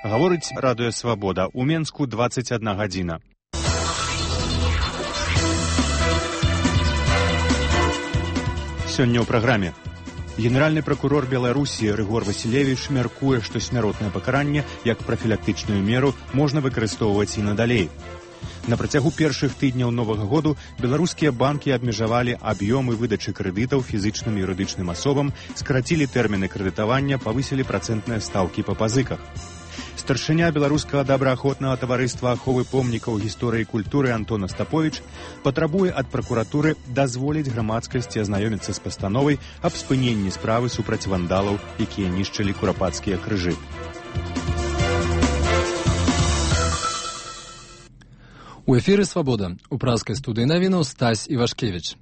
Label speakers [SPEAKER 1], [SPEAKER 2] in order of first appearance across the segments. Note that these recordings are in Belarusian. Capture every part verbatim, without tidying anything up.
[SPEAKER 1] Гаворыць радыё «Свабода». У Менску дваццаць адна гадзіна. Сёння ў праграме. Генеральны пракурор Беларусі Рыгор Васілевіч мяркуе, што смяротнае пакаранне як прафілактычную меру можна выкарыстоўваць і надалей. На працягу першых тыдняў новага году беларускія банкі абмежавалі аб'ёмы выдачы крэдытаў фізычным і юрыдычным асобам, скарацілі тэрміны крэдытавання, павысілі працэнтныя стаўкі па пазыках. Старшыня беларускага добраахвотнага таварыства аховы помнікаў гісторыі і культуры Антон Астаповіч патрабуе ад пракуратуры дазволіць грамадскасці азнаёміцца з пастановай аб спыненні справы супраць вандалаў, якія нішчылі курапацкія крыжы.
[SPEAKER 2] У эфіры «Свабода». У празкай студыі навінаў Стась Івашкевіч.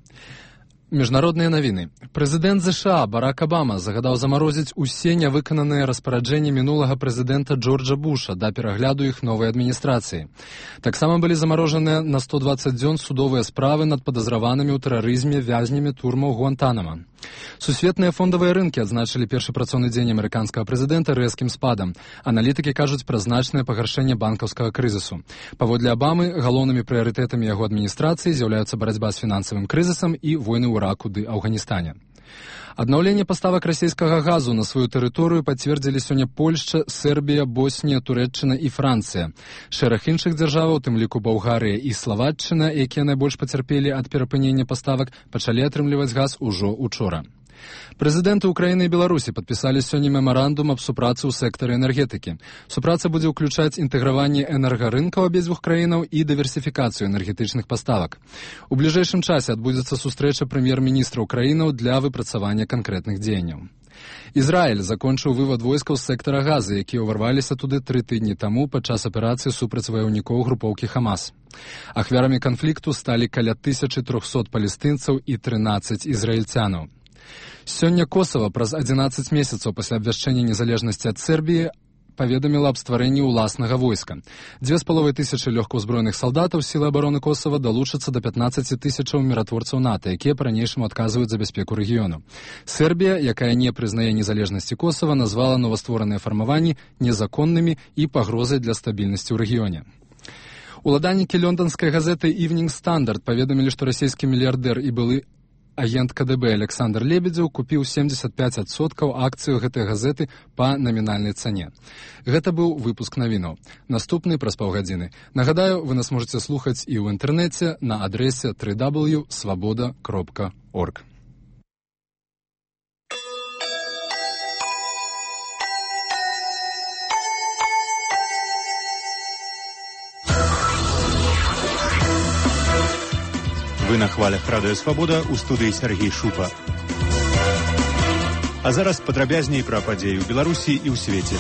[SPEAKER 2] Міжнародныя навіны. Прэзідэнт ЗША Барак Абама загадаў замарозіць усе нявыкананыя распараджэнні мінулага прэзідэнта Джорджа Буша да перагляду іх новай адміністрацыі. Таксама былі замарожаныя на сто дваццаць дзён судовыя справы над падазраванымі ў тэрарызме вязнямі турмаў Гуантанама. Сусветныя фондавыя рынкі адзначылі першы працоўны дзень амерыканскага прэзідэнта рэзкім спадам. Аналітыкі кажуць пра значнае пагаршэнне банкаўскага крызісу. Паводле Абамы, галоўнымі прыярытэтамі яго адміністрацыі з'яўляюцца барацьба з фінансавым крызісам і войны ў Іраку ды Афганістане. Аднаўленне паставак расійскага газу на сваю тэрыторыю пацвердзілі сёння Польшча, Сербія, Боснія, Турэччына і Францыя. Шэраг іншых дзяржаваў, у тым ліку Балгарыя і Славаччына, якія найбольш пацярпелі ад перапынення паставак, пачалі атрымліваць газ ужо учора. Прэзідэнты Украіны і Беларусі падпісалі сёння мемарандум аб супрацы ў сектары энергетыкі. Супраца будзе ўключаць інтэграванне энергарынкаў абедзвюх краінаў і дыверсіфікацыю энергетычных паставак. У бліжэйшым часе адбудзецца сустрэча прэм'ер-міністраў краінаў для выпрацавання канкрэтных дзеянняў. Ізраіль закончыў вывад войскаў з сектара Газы, якія ўварваліся туды тры тыдні таму падчас аперацыі супраць ваяўнікоў групоўкі Хамас. Ахвярамі канфлікту сталі каля тысячы трохсот палестынцаў і трынаццаць ізраільцянаў. Сёння Косава праз адзінаццаць месяцаў пасля абвяшчэння незалежнасці ад Сербіі паведаміла аб стварэнні ўласнага войска. Дзве з паловай тысячы лёгкаўзброеных салдатаў сілы абароны Косава далучацца да пятнаццаці тысячаў міратворцаў НАТО, якія па-ранейшаму адказваюць за бяспеку рэгіёну. Сербія, якая не прызнае незалежнасці Косава, назвала новаствораныя фармаванні незаконнымі і пагрозай для стабільнасці ў рэгіёне. Уладальнікі лёнданскай газеты «Evening Standard» паведамілі, што расійскі мільярдэр і былы агент КДБ Александр Лебедзеў купіў семдзесят пяць адсоткаў акцыю гэтай газеты па намінальнай цане. Гэта быў выпуск навінаў. Наступны праз паўгадзіны. Нагадаю, вы нас можаце слухаць і ў інтэрнэце на адрэсе дабл ю дабл ю крапка свабода крапка орг.
[SPEAKER 1] Вы на хвалях радыё «Свабода», у студыі Сергей Шупа. А зараз падрабязней пра падзеі ў Беларусі і ў свеце.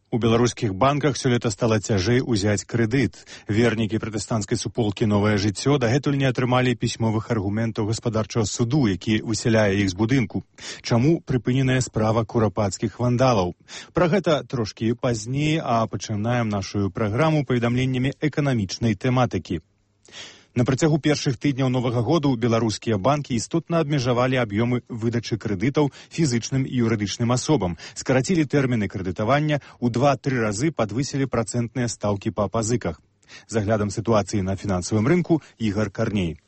[SPEAKER 1] У беларускіх банках сёлета стала цяжэй узяць крэдыт. Вернікі пратэстанцкай суполкі «Новае жыццё» дагэтуль не атрымалі пісьмовых аргументаў гаспадарчага суду, які высяляе іх з будынку. Чаму прыпыненая справа курапацкіх вандалаў? Пра гэта трошкі пазней, а пачынаем нашу праграму паведамленнямі эканамічнай тэматыкі. На працягу першых тыдняў новага году беларускія банкі істотна абмежавалі аб'ёмы выдачы крэдытаў фізычным і юрыдычным асобам, скарацілі тэрміны крэдытавання, у два-тры разы падвысілі працэнтныя стаўкі па пазыках. З аглядам сітуацыі на фінансавым рынку Ігар Карней.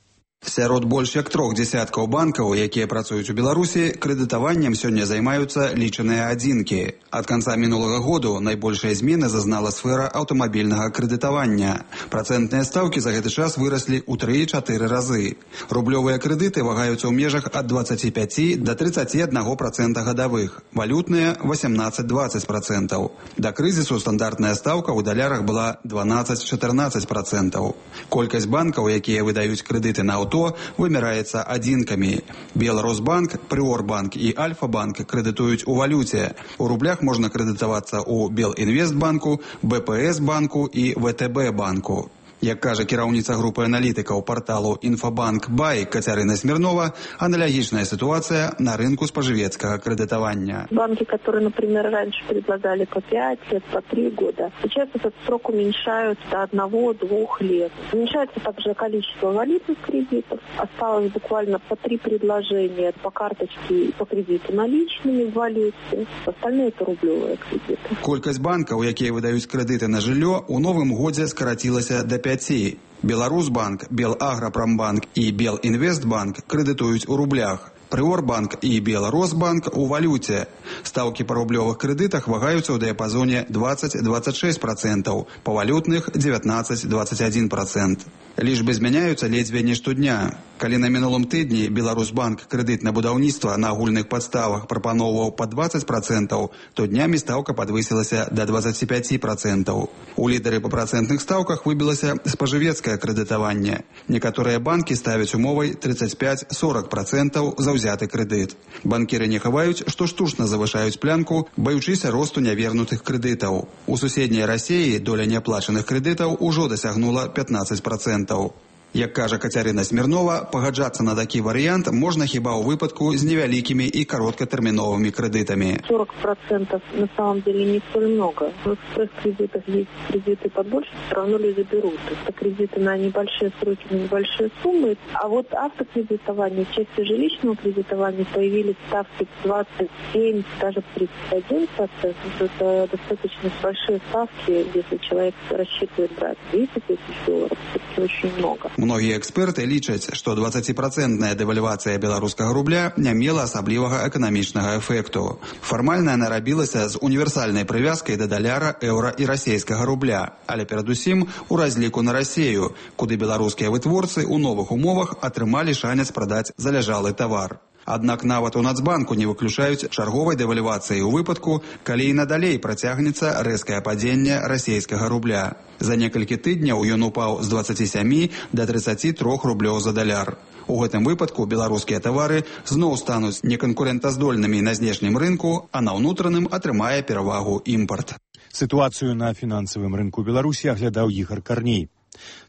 [SPEAKER 3] Сярод больш як трох дзесяткаў банкаў, якія працуюць у Беларусі, крэдытаваннем сёння займаюцца лічаныя адзінкі. Ад канца мінулага году найбольшыя змены зазнала сфера аўтамабільнага крэдытавання. Працэнтныя стаўкі за гэты час выраслі ў тры-чатыры разы. Рублёвыя крэдыты вагаюцца ў межах ад дваццаці пяці да трыццаці аднаго працэнта гадавых, валютныя васямнаццаць-дваццаць працэнтаў. Да крызісу стандартная стаўка ў далярах была дванаццаць-чатырнаццаць працэнтаў. Колькасць банкаў, якія выдаюць крэдыты на аўто, то вымяраецца адзінкамі. Беларусбанк, Прыорбанк і Альфа-банк крэдытуюць у валюце. У рублях можна крэдытавацца ў Белінвестбанку, БПС-банку і ВТБ-банку. Як кажа кіраўніца групы аналітыкаў парталу «Інфабанк Бай» Кацярына Смирнова, аналагічная ситуация на рынку споживецкого кредитования.
[SPEAKER 4] Банки, которые, например, раньше предлагали по пять лет, по три года, сейчас этот срок уменьшают до одного-двух лет. Уменьшается также количество валютных кредитов. Осталось буквально по три предложения по карточке и по кредиту наличными в валюте. Остальные это рублевые кредиты.
[SPEAKER 3] Колькасць банкаў, якія выдаюць крэдыты на жыллё, у новым годзе скарацілася да пяці. Беларусбанк, Белаграпромбанк і Белінвестбанк крэдытуюць у рублях. Прыорбанк і Беларусбанк у валюце. Стаўкі па рублёвых крэдытах вагаюцца ў дыяпазоне двадцать-двадцать шесть процентов, па валютных девятнадцать-двадцать один процент. Лічбы змяняюцца ледзьве не штодня. Калі на мінулым тыдні Беларусбанк крэдыт на будаўніцтва на агульных падставах прапаноўваў па двадцать процентов, то днямі стаўка падвысілася да двадцати пяти процентов. У лідары па працэнтных стаўках выбілася спажывецкае крэдытаванне. Некаторыя банкі ставяць умовай тридцать пять-сорок процентов за ўзяты крэдыт. Банкіры не хаваюць, што штучна завышаюць плянку, баючыся росту нявернутых крэдытаў. У суседняй Расіі доля няплачаных крэдытаў ужо дасягнула пятнадцать процентов. Як кажа Кацярына Смирнова, пагаджацца на такі варыянт можна хіба ў выпадку з невялікімі і кароткатэрміновымі крэдытамі.
[SPEAKER 4] сорок процентов на самом деле не столь много. В экспресс-кредитах есть кредиты побольше, все равно люди берут. Это кредиты на небольшие сроки, на небольшие суммы. А вот автокредитование, в части жилищного кредитования появились ставки двадцать семь, даже тридцать один процент. Это достаточно большие ставки, если человек рассчитывает брать тридцать тысяч долларов. Это очень много.
[SPEAKER 3] Многія эксперты лічаць, што двадцатипроцентная дэвальвацыя беларускага рубля не мела асаблівага эканамічнага эфекту. Фармальна яна рабілася з універсальнай прывязкай да даляра, еўра і расійскага рубля, але перадусім у разліку на Расію, куды беларускія вытворцы ў новых умовах атрымалі шанец прадаць заляжалы тавар. Аднак нават у Нацбанку не выключаюць чарговай дэвальвацыі ў выпадку, калі і надалей працягнецца рэзкае падзенне расійскага рубля. За некалькі тыдняў ён упаў з двадцати семи да тридцати трёх рублёў за даляр. У гэтым выпадку беларускія тавары зноў стануць неканкурэнтаздольнымі на знешнім рынку, а на ўнутраным атрымае перавагу імпарт.
[SPEAKER 1] Сітуацыю на фінансавым рынку Беларусі аглядаў Ігар Карней.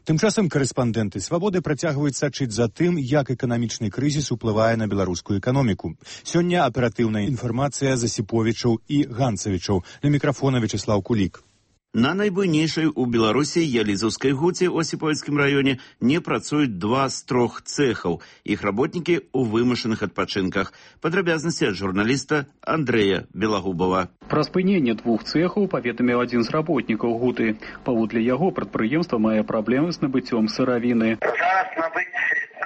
[SPEAKER 1] Тым часам карэспандэнты «Свабоды» працягваюць сачыць за тым, як эканамічны крызіс уплывае на беларускую эканоміку. Сёння аператыўная інфармацыя Засіповічаў і Ганцавічаў. На мікрафона Вячеслав Кулік.
[SPEAKER 5] На найбуйнейшай у Беларусі Ялізаўскай гуце ў Осіпавіцкім раёне не працуюць два з трох цэхаў. Іх работнікі ў вымушаных адпачынках. Падрабязнасці ад журналіста Андрэя Белагубова.
[SPEAKER 6] Пра спыненне двух цэхаў паведаміў адзін з работнікаў гуты. Паводле яго прадпрыемства мае праблемы з набыццём сыравіны.
[SPEAKER 7] Зараз набыць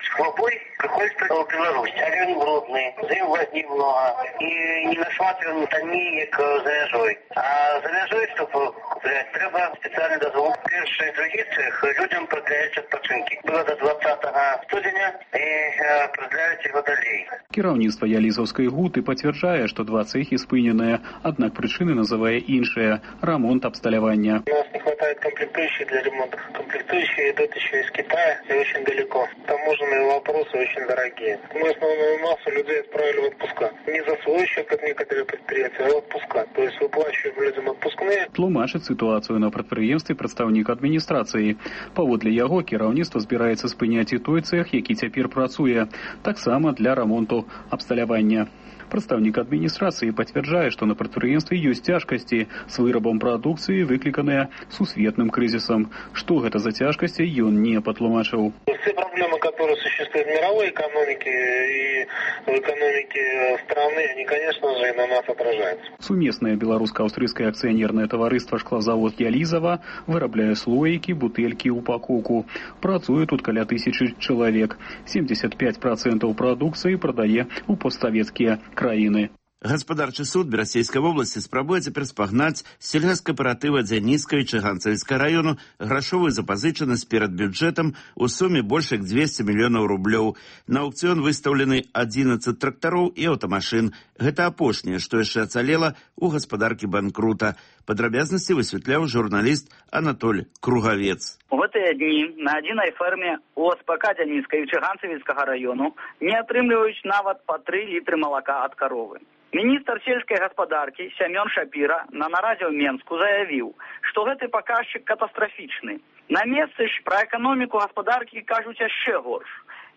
[SPEAKER 7] шклобой приходится в Беларусь. А він брудний, зим воді много. І не нашмат він танній, як заляжой. А заляжой, щоб купляти, треба спеціальний дозвол. Перший, другий цех людям продляють відпочинки. Було до двадцятого студеня і продляють його далі.
[SPEAKER 6] Кіраўніцтва Ялізаўскай гуты пацвярджае, што два цэхі спыненыя, аднак прычыны называе іншыя – рамонт абсталявання.
[SPEAKER 7] У нас не хватает комплектующих для ремонта. Комплектующие идут еще из Китая и очень далеко. Таможенные вопросы очень дорогие. Мы основную массу людей отправили в отпуска. Не за свой счет, как некоторые предприятия, а в отпуска. То есть выплачиваем людям отпускные.
[SPEAKER 6] Тлумачыць сітуацыю на прадпрыемстве прадстаўнік адміністрацыі. Паводле яго кіраўніцтва збіраецца спыняць і той цэх, які цяпер працуе. Таксама для рамонту абсталявання. Прадстаўнік адміністрацыі пацвярджае, што на прадпрыемстве ёсць цяжкасці з вырабам прадукцыі, выкліканыя сусветным крызісам. Што гэта за цяжкасці, ён не патлумачыў.
[SPEAKER 7] Все проблемы, которые существуют в мировой экономике и в экономике страны, они, конечно же, и на нас отражаются.
[SPEAKER 6] Сумеснае беларуска-аўстрыйскае акцыянернае таварыства «Шклозавод Ялізава» вырабляе слоікі, бутэлькі, упакоўку. Працуе тут каля тысячы чалавек. семьдесят пять процентов прадукцыі прадае ў постсавецкія краіны.
[SPEAKER 5] Гаспадарчы суд Берасцейскай вобласці спрабуе цяпер спагнаць сельгаскааператыва Дзяніцкай Чыганцавіцкага раёну грашовую запазычанасць перад бюджэтам у суме больш як двести мільёнаў рублёў. На аўкцыён выстаўлены адзінаццаць трактароў і аўтамашын. Гэта апошняе, што яшчэ ацалела ў гаспадаркі банкрута. Падрабязнасці высвятляў журналіст Анатоль Кругавец.
[SPEAKER 8] У гэтыя дні на адзінай ферме у ОСПК Дзяніцкай Чыганцавіцкага району не атрымліваюць нават па тры літры малака ад каровы. Міністр сельскай гаспадаркі Сямён Шапіра на нарадзе ў Менску заявіў, што гэты паказчык катастрафічны. На месцы ж пра эканоміку гаспадаркі кажуць яшчэ горш.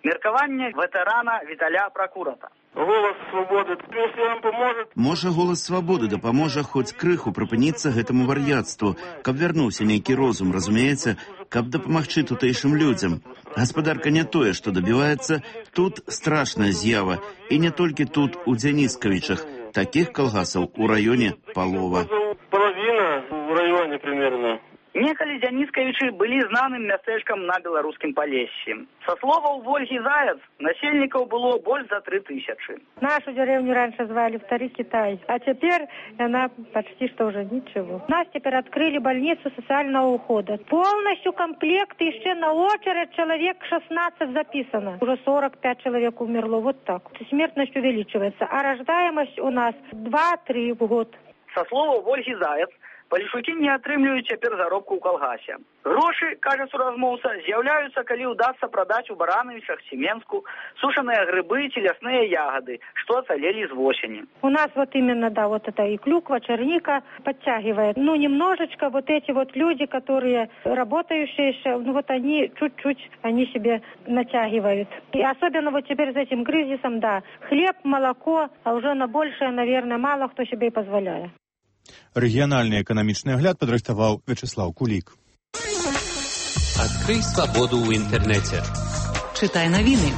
[SPEAKER 8] Меркаванне ветэрана Віталя Пракурата.
[SPEAKER 9] Голас свабоды, если вам поможет...
[SPEAKER 5] Можа, голас свабоды дапаможа хоць крыху прыпыніцца гэтаму вар'яцтву, каб вярнуўся нейкі розум, разумеецца, каб дапамагчы тутэйшым людзям. Гаспадарка не тое, што дабіваецца, тут страшная з'ява, і не толькі тут, у Дзяніскавічах. Такіх калгасаў у раёне палова.
[SPEAKER 9] Половина в районе примерно.
[SPEAKER 8] Некалі Дзяніскавічы былі знаным мястэчкам на беларускім Палессі. Са словаў Вольгі Заяц, насельнікаў было больш за три тысячи.
[SPEAKER 10] Нашу деревню раньше звали Второй Китай, а теперь она почти что уже ничего. Нас теперь открыли больницу социального ухода. Полностью комплект, еще на очередь человек шестнадцать записано. Уже сорок пять человек умерло, вот так. Смертность увеличивается, а рождаемость у нас два-три в год.
[SPEAKER 8] Са словаў Вольгі Заяц, палешукі не атрымліваюць цяпер заробку ў калгасе. Грошы, кажа суразмоўца, з'яўляюцца, калі ўдасца прадаць у Баранавічах, Семенску сушаныя грыбы ці лясныя ягады, што ацалелі з восені.
[SPEAKER 10] У нас вот именно, да, вот это и клюква, черника подтягивает. Ну, немножечко вот эти вот люди, которые работающие еще, ну вот они чуть-чуть, они себе натягивают. И особенно вот теперь с этим кризисом, да, хлеб, молоко, а уже на большее, наверное, мало кто себе и позволяет.
[SPEAKER 1] Рэгіянальны эканамічны агляд падрыхтаваў Вячеслав Кулік.
[SPEAKER 11] Адкрый свабоду ў інтэрнэце.
[SPEAKER 12] Чытай навіны.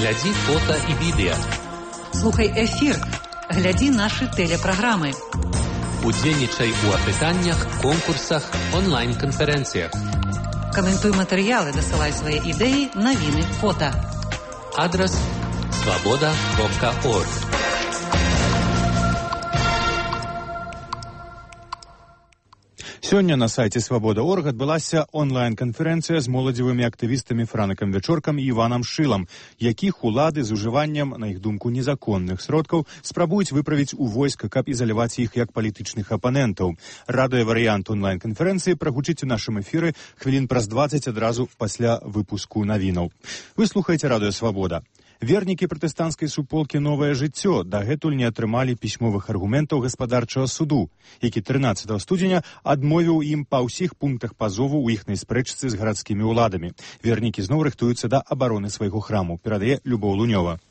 [SPEAKER 11] Глядзі фота і відэа.
[SPEAKER 12] Слухай эфір. Глядзі нашы тэлепраграмы.
[SPEAKER 11] Удзельнічай у апытаннях, конкурсах, онлайн-канферэнцыях.
[SPEAKER 12] Каментуй матэрыялы, дасылай свае ідэі, навіны, фота.
[SPEAKER 11] Адрас свабода кропка орг.
[SPEAKER 1] Сёння на сайце свабода точка орг адбылася онлайн-канферэнцыя з моладзевымі актывістамі Франыкам Вячоркам і Іванам Шылам, якіх улады з ужываннем, на іх думку, незаконных сродкаў спрабуюць выправіць у войска, каб ізаляваць іх як палітычных апанентаў. Радыёварыянт онлайн-канферэнцыі прагучыць у нашым эфіры хвілін праз дваццаць адразу пасля выпуску навінаў. Вы слухаеце Радыё Свабода. Вернікі пратэстанцкай суполкі «Новае жыццё» дагэтуль не атрымалі пісьмовых аргументаў гаспадарчага суду, які трынаццатага студзеня адмовіў ім па ўсіх пунктах пазову ў іхнай спрэчцы з гарадскімі ўладамі. Вернікі зноў рыхтуюцца да абароны свайго храму, перадае Любоў Лунёва.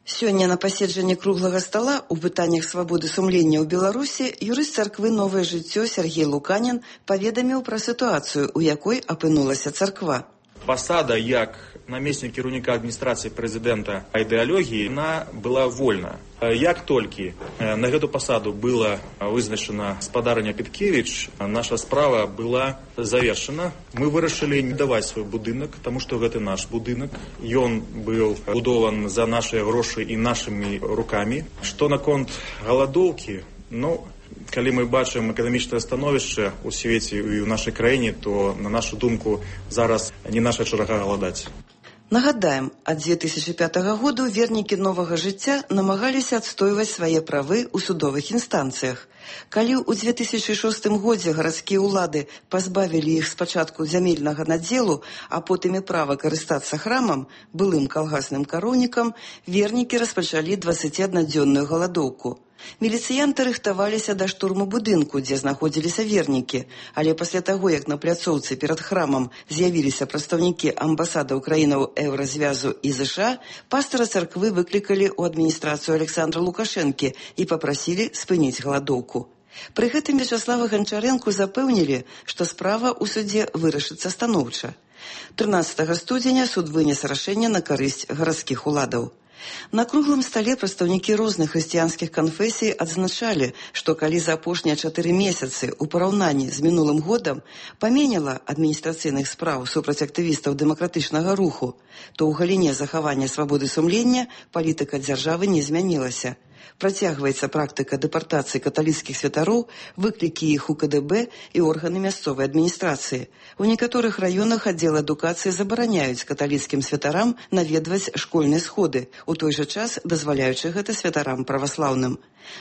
[SPEAKER 13] Сёння на паседжанні круглага стала ў пытаннях свабоды сумлення ў Беларусі юрыст царквы «Новае жыццё» Сергей Луканін паведаміў пра сітуацыю, у якой апынулася царква.
[SPEAKER 14] Пасада як намеснік кіраўніка адміністрацыі прэзідэнта ідэалогіі, яна была вольна. Як толькі на гэту пасаду была вызначана спадарня Петкевіч, наша справа была завершана. Мы вырашылі не даваць свой будынак, таму што гэта наш будынак. Ён быў будован за нашыя грошы і нашымі рукамі. Што наконт галадоўкі, ну, калі мы бачым эканамічнае становішча ў свеце і ў нашай краіне, то, на нашу думку, зараз не наша чарга галадаць.
[SPEAKER 13] Нагадаем, ад дзве тысячы пятага году вернікі новага жыцця намагаліся адстойваць свае правы ў судовых інстанцыях. Калі ў дзве тысячы шостым годзе гарадскія ўлады пазбавілі іх спачатку зямельнага надзелу, а потым і права карыстацца храмам, былым калгасным кароўнікам, вернікі распачалі дваццаціаднадзённую галадоўку. Міліцыянты рыхтаваліся да штурму будынку, дзе знаходзіліся вернікі, але пасля таго, як на пляцоўцы перад храмам з'явіліся прадстаўнікі амбасадаў краінаў Еўразвязу і ЗША, пастара царквы выклікалі ў адміністрацыю Александра Лукашэнкі і папрасілі спыніць галадоўку. Пры гэтым Вячаслава Ганчарэнку запэўнілі, што справа ў судзе вырашыцца станоўча. трынаццатага студзеня суд вынес рашэнне на карысць гарадскіх уладаў. На круглым стале прадстаўнікі розных хрысціянскіх канфесій адзначалі, што калі за апошнія чатыры месяцы ў параўнанні з мінулым годам паменела адміністрацыйных спраў супраць актывістаў дэмакратычнага руху, то ў галіне захавання свабоды сумлення палітыка дзяржавы не змянілася. Працягваецца практыка дэпартацыі каталіцкіх святароў, выклікі іх у ка дэ бэ і органы мясцовай адміністрацыі. У некаторых раёнах аддзел адукацыі забараняюць каталіцкім святарам наведваць школьныя сходы, у той жа час дазваляючы гэта святарам праваслаўным.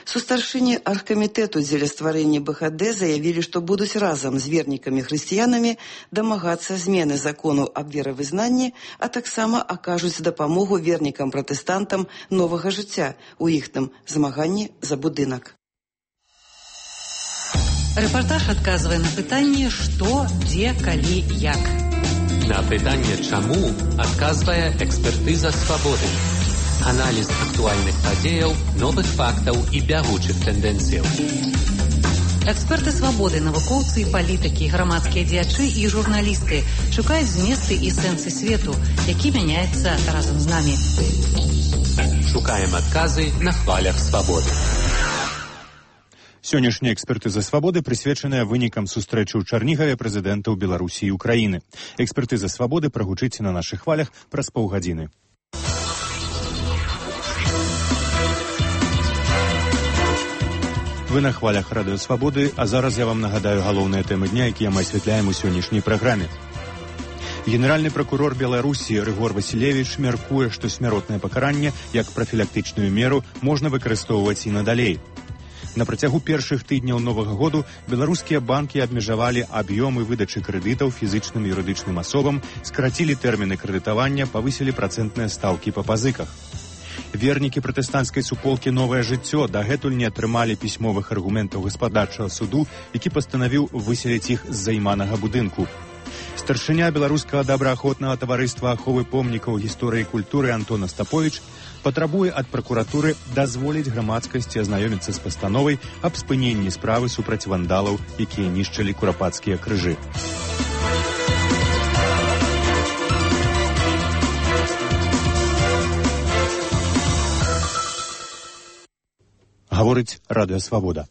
[SPEAKER 13] Сустаршыні аргкамітэту дзеля стварэння бэ ха дэ заявілі, што будуць разам з вернікамі-хрысціянамі дамагацца змены закону аб веравызнанні, а таксама акажуць дапамогу вернікам-пратэстантам новага жыцця у іхным змаганні за будынак.
[SPEAKER 12] Рэпартаж адказвае на пытанне «Што, дзе, калі, як».
[SPEAKER 11] На пытанне «Чаму» адказвае экспертыза «Свабоды». Аналіз актуальных падзеяў, новых фактаў і бягучых тэндэнцыяў.
[SPEAKER 12] Эксперты «Свабоды», навукоўцы і палітыкі, грамадскія дзеячы і журналісты шукаюць зместы і сэнсы свету, які мяняецца разам з намі.
[SPEAKER 11] Шукаем адказы на хвалях «Свабоды».
[SPEAKER 1] Сённяшняя экспертыза «Свабоды» прысвечаная вынікам сустрэчы ў Чарнігаве прэзідэнтаў Беларусі і Украіны. Экспертыза «Свабоды» прагучыць на нашых хвалях праз паўгадзіны. Вы на хвалях радыё «Свабоды», а зараз я вам нагадаю галоўныя тэмы дня, якія мы асвятляем у сённяшняй праграме. Генеральны пракурор Беларусі Рыгор Васілевіч мяркуе, што смяротнае пакаранне як прафілактычную меру можна выкарыстоўваць і надалей. На працягу першых тыдняў новага году беларускія банкі абмежавалі аб'ёмы выдачы крэдытаў фізычным і юрыдычным асобам, скарацілі тэрміны крэдытавання, павысілі працэнтныя стаўкі па пазыках. Вернікі пратэстанцкай суполкі «Новае жыццё» дагэтуль не атрымалі пісьмовых аргументаў гаспадарчага суду, які пастанавіў выселіць іх з займанага будынку. Старшыня беларускага добраахвотнага таварыства аховы помнікаў гісторыі і культуры Антон Астаповіч патрабуе ад пракуратуры дазволіць грамадскасці азнаёміцца з пастановай аб спыненні справы супраць вандалаў, якія нішчылі курапацкія крыжы. Гаворыць радыё «Свабода».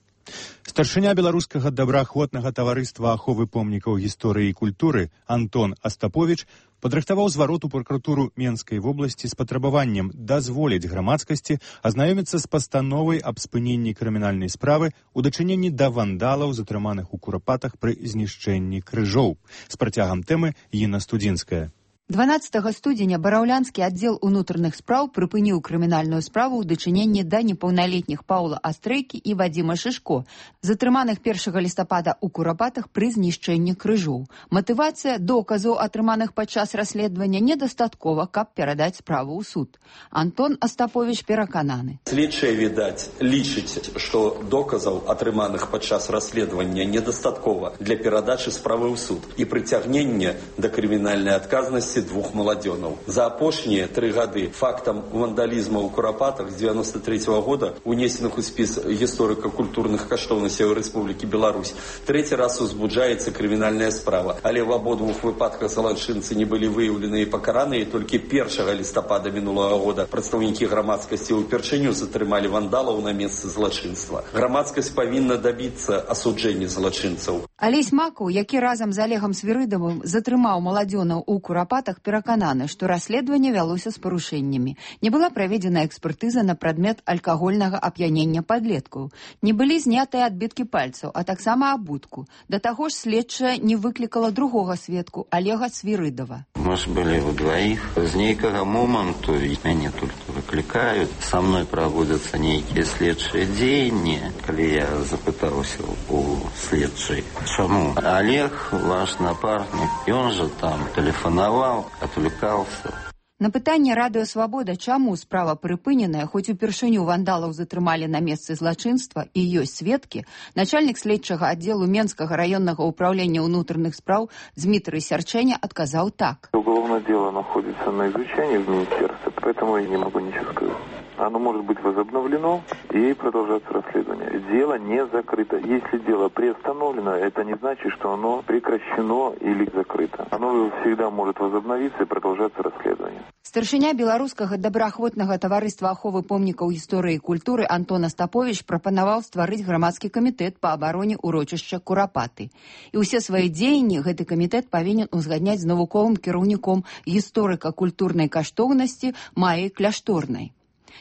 [SPEAKER 1] Старшыня беларускага добраахвотнага таварыства аховы помнікаў гісторыі і культуры Антон Астаповіч падрыхтаваў зварот у пракуратуру Менскай вобласці з патрабаваннем дазволіць грамадскасці азнаёміцца з пастановай аб спыненні крымінальнай справы ў дачыненні да вандалаў, затрыманых у курапатах пры знішчэнні крыжоў. З працягам тэмы Інна Студзінская.
[SPEAKER 15] дванаццатага студзеня бараўлянскі аддзел унутраных спраў прыпыніў крымінальную справу ў дачыненні да непаўналетніх Паўла Астрейкі і Вадзіма Шышко, затрыманых першага лістапада ў курапатах пры знішчэнні крыжоў. Матывацыя доказаў, атрыманых падчас расследавання, недастаткова, каб перадаць справу ў суд. Антон Астаповіч перакананы.
[SPEAKER 16] Слідчыя, відаць, лічыць, што доказаў, атрыманых падчас расследавання, недастаткова для перадачы справы ў суд і прыцягнення да крымінальнай адказнасці двух маладзёнаў. За апошнія тры гады фактам вандалізму ў курапатах з дзевяноста трэцяга года, унесеных у спіс гісторыка-культурных каштоўнасцяў Рэспублікі Беларусь, трэці раз узбуджаецца крымінальная справа. Але в абодвух выпадках злачынцы не былі выяўлены і пакараныя. Толькі першага лістапада мінулага года прадстаўнікі грамадскасці ўпершыню затрымалі вандалаў на месцы злачынства. Грамадскасць павінна дабіцца асуджэння злачынцаў.
[SPEAKER 15] Алесь Макаў, які разам з Олегам Свірыдавым затрымаў маладзёнаў у курапатах, перакананы, што расследаванне вялося з парушэннямі. Не была праведзена экспертыза на прадмет алкагольнага ап'янення падлеткаў. Не былі знятыя адбіткі пальцаў, а таксама абутку. Да таго ж следчая не выклікала другога сведку, Олега Свірыдава.
[SPEAKER 17] Мы ж былі ўдваіх. З нейкага моманту мяне толькі выклікаюць. Са мной праводзяцца нейкія следчыя дзеянні. Калі я запытаўся у следчай, чаму Олег, ваш напарнік, ён жа там тэлефанаваў, отвлекался.
[SPEAKER 15] На пытанне радыё «Свабода», чаму справа прыпыненая, хоць упершыню вандалаў затрымалі на месцы злачынства і ёсць сведкі, начальнік следчага аддзелу Менскага раённага ўпраўлення ўнутраных спраў Дмітрий Сярчэня адказаў так.
[SPEAKER 18] Уголовное дело находится на изучении в министерстве, поэтому я не могу ничего сказать. Оно может быть возобновлено и продолжаться расследование. Дело не закрыто. Если дело приостановлено, это не значит, что оно прекращено или закрыто. Оно всегда может возобновиться и продолжаться расследование.
[SPEAKER 15] Старшыня беларускага добраахвотнага таварыства аховы помнікаў гісторыі і культуры Антон Астаповіч прапанаваў стварыць грамадскі камітэт па абароне урочышча Курапаты. І ўсе свае дзеянні гэты камітэт павінен узгадняць з навуковым кіраўніком гісторыка-культурнай каштоўнасці Маі Кляшторнай.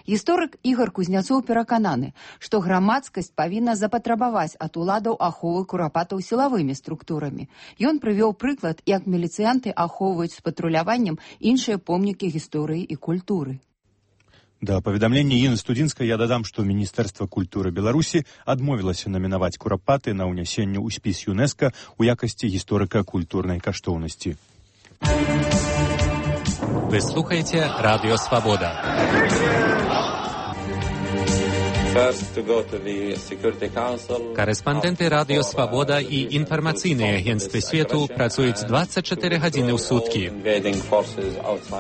[SPEAKER 15] Гісторык Ігор Кузняцоў перакананы, што грамадскасць павінна запатрабаваць ад уладаў аховы курапатаў сілавымі структурамі. Ён прывёў прыклад, як міліцыянты ахоўваюць з патруляваннем іншыя помнікі гісторыі і культуры.
[SPEAKER 1] Да паведамлення Інны Студзінскай я дадам, што Міністэрства культуры Беларусі адмовілася намінаваць курапаты на ўнясенне ў спіс ЮНЕСКО ў якасці гісторыка культурнай каштоўнасці.
[SPEAKER 11] Вы слухаете Радио Свобода. Корэспандэнты Радио Свобода і інфармацыйныя агенцтвы свету працуюць двадцать четыре гадзіны ў суткі.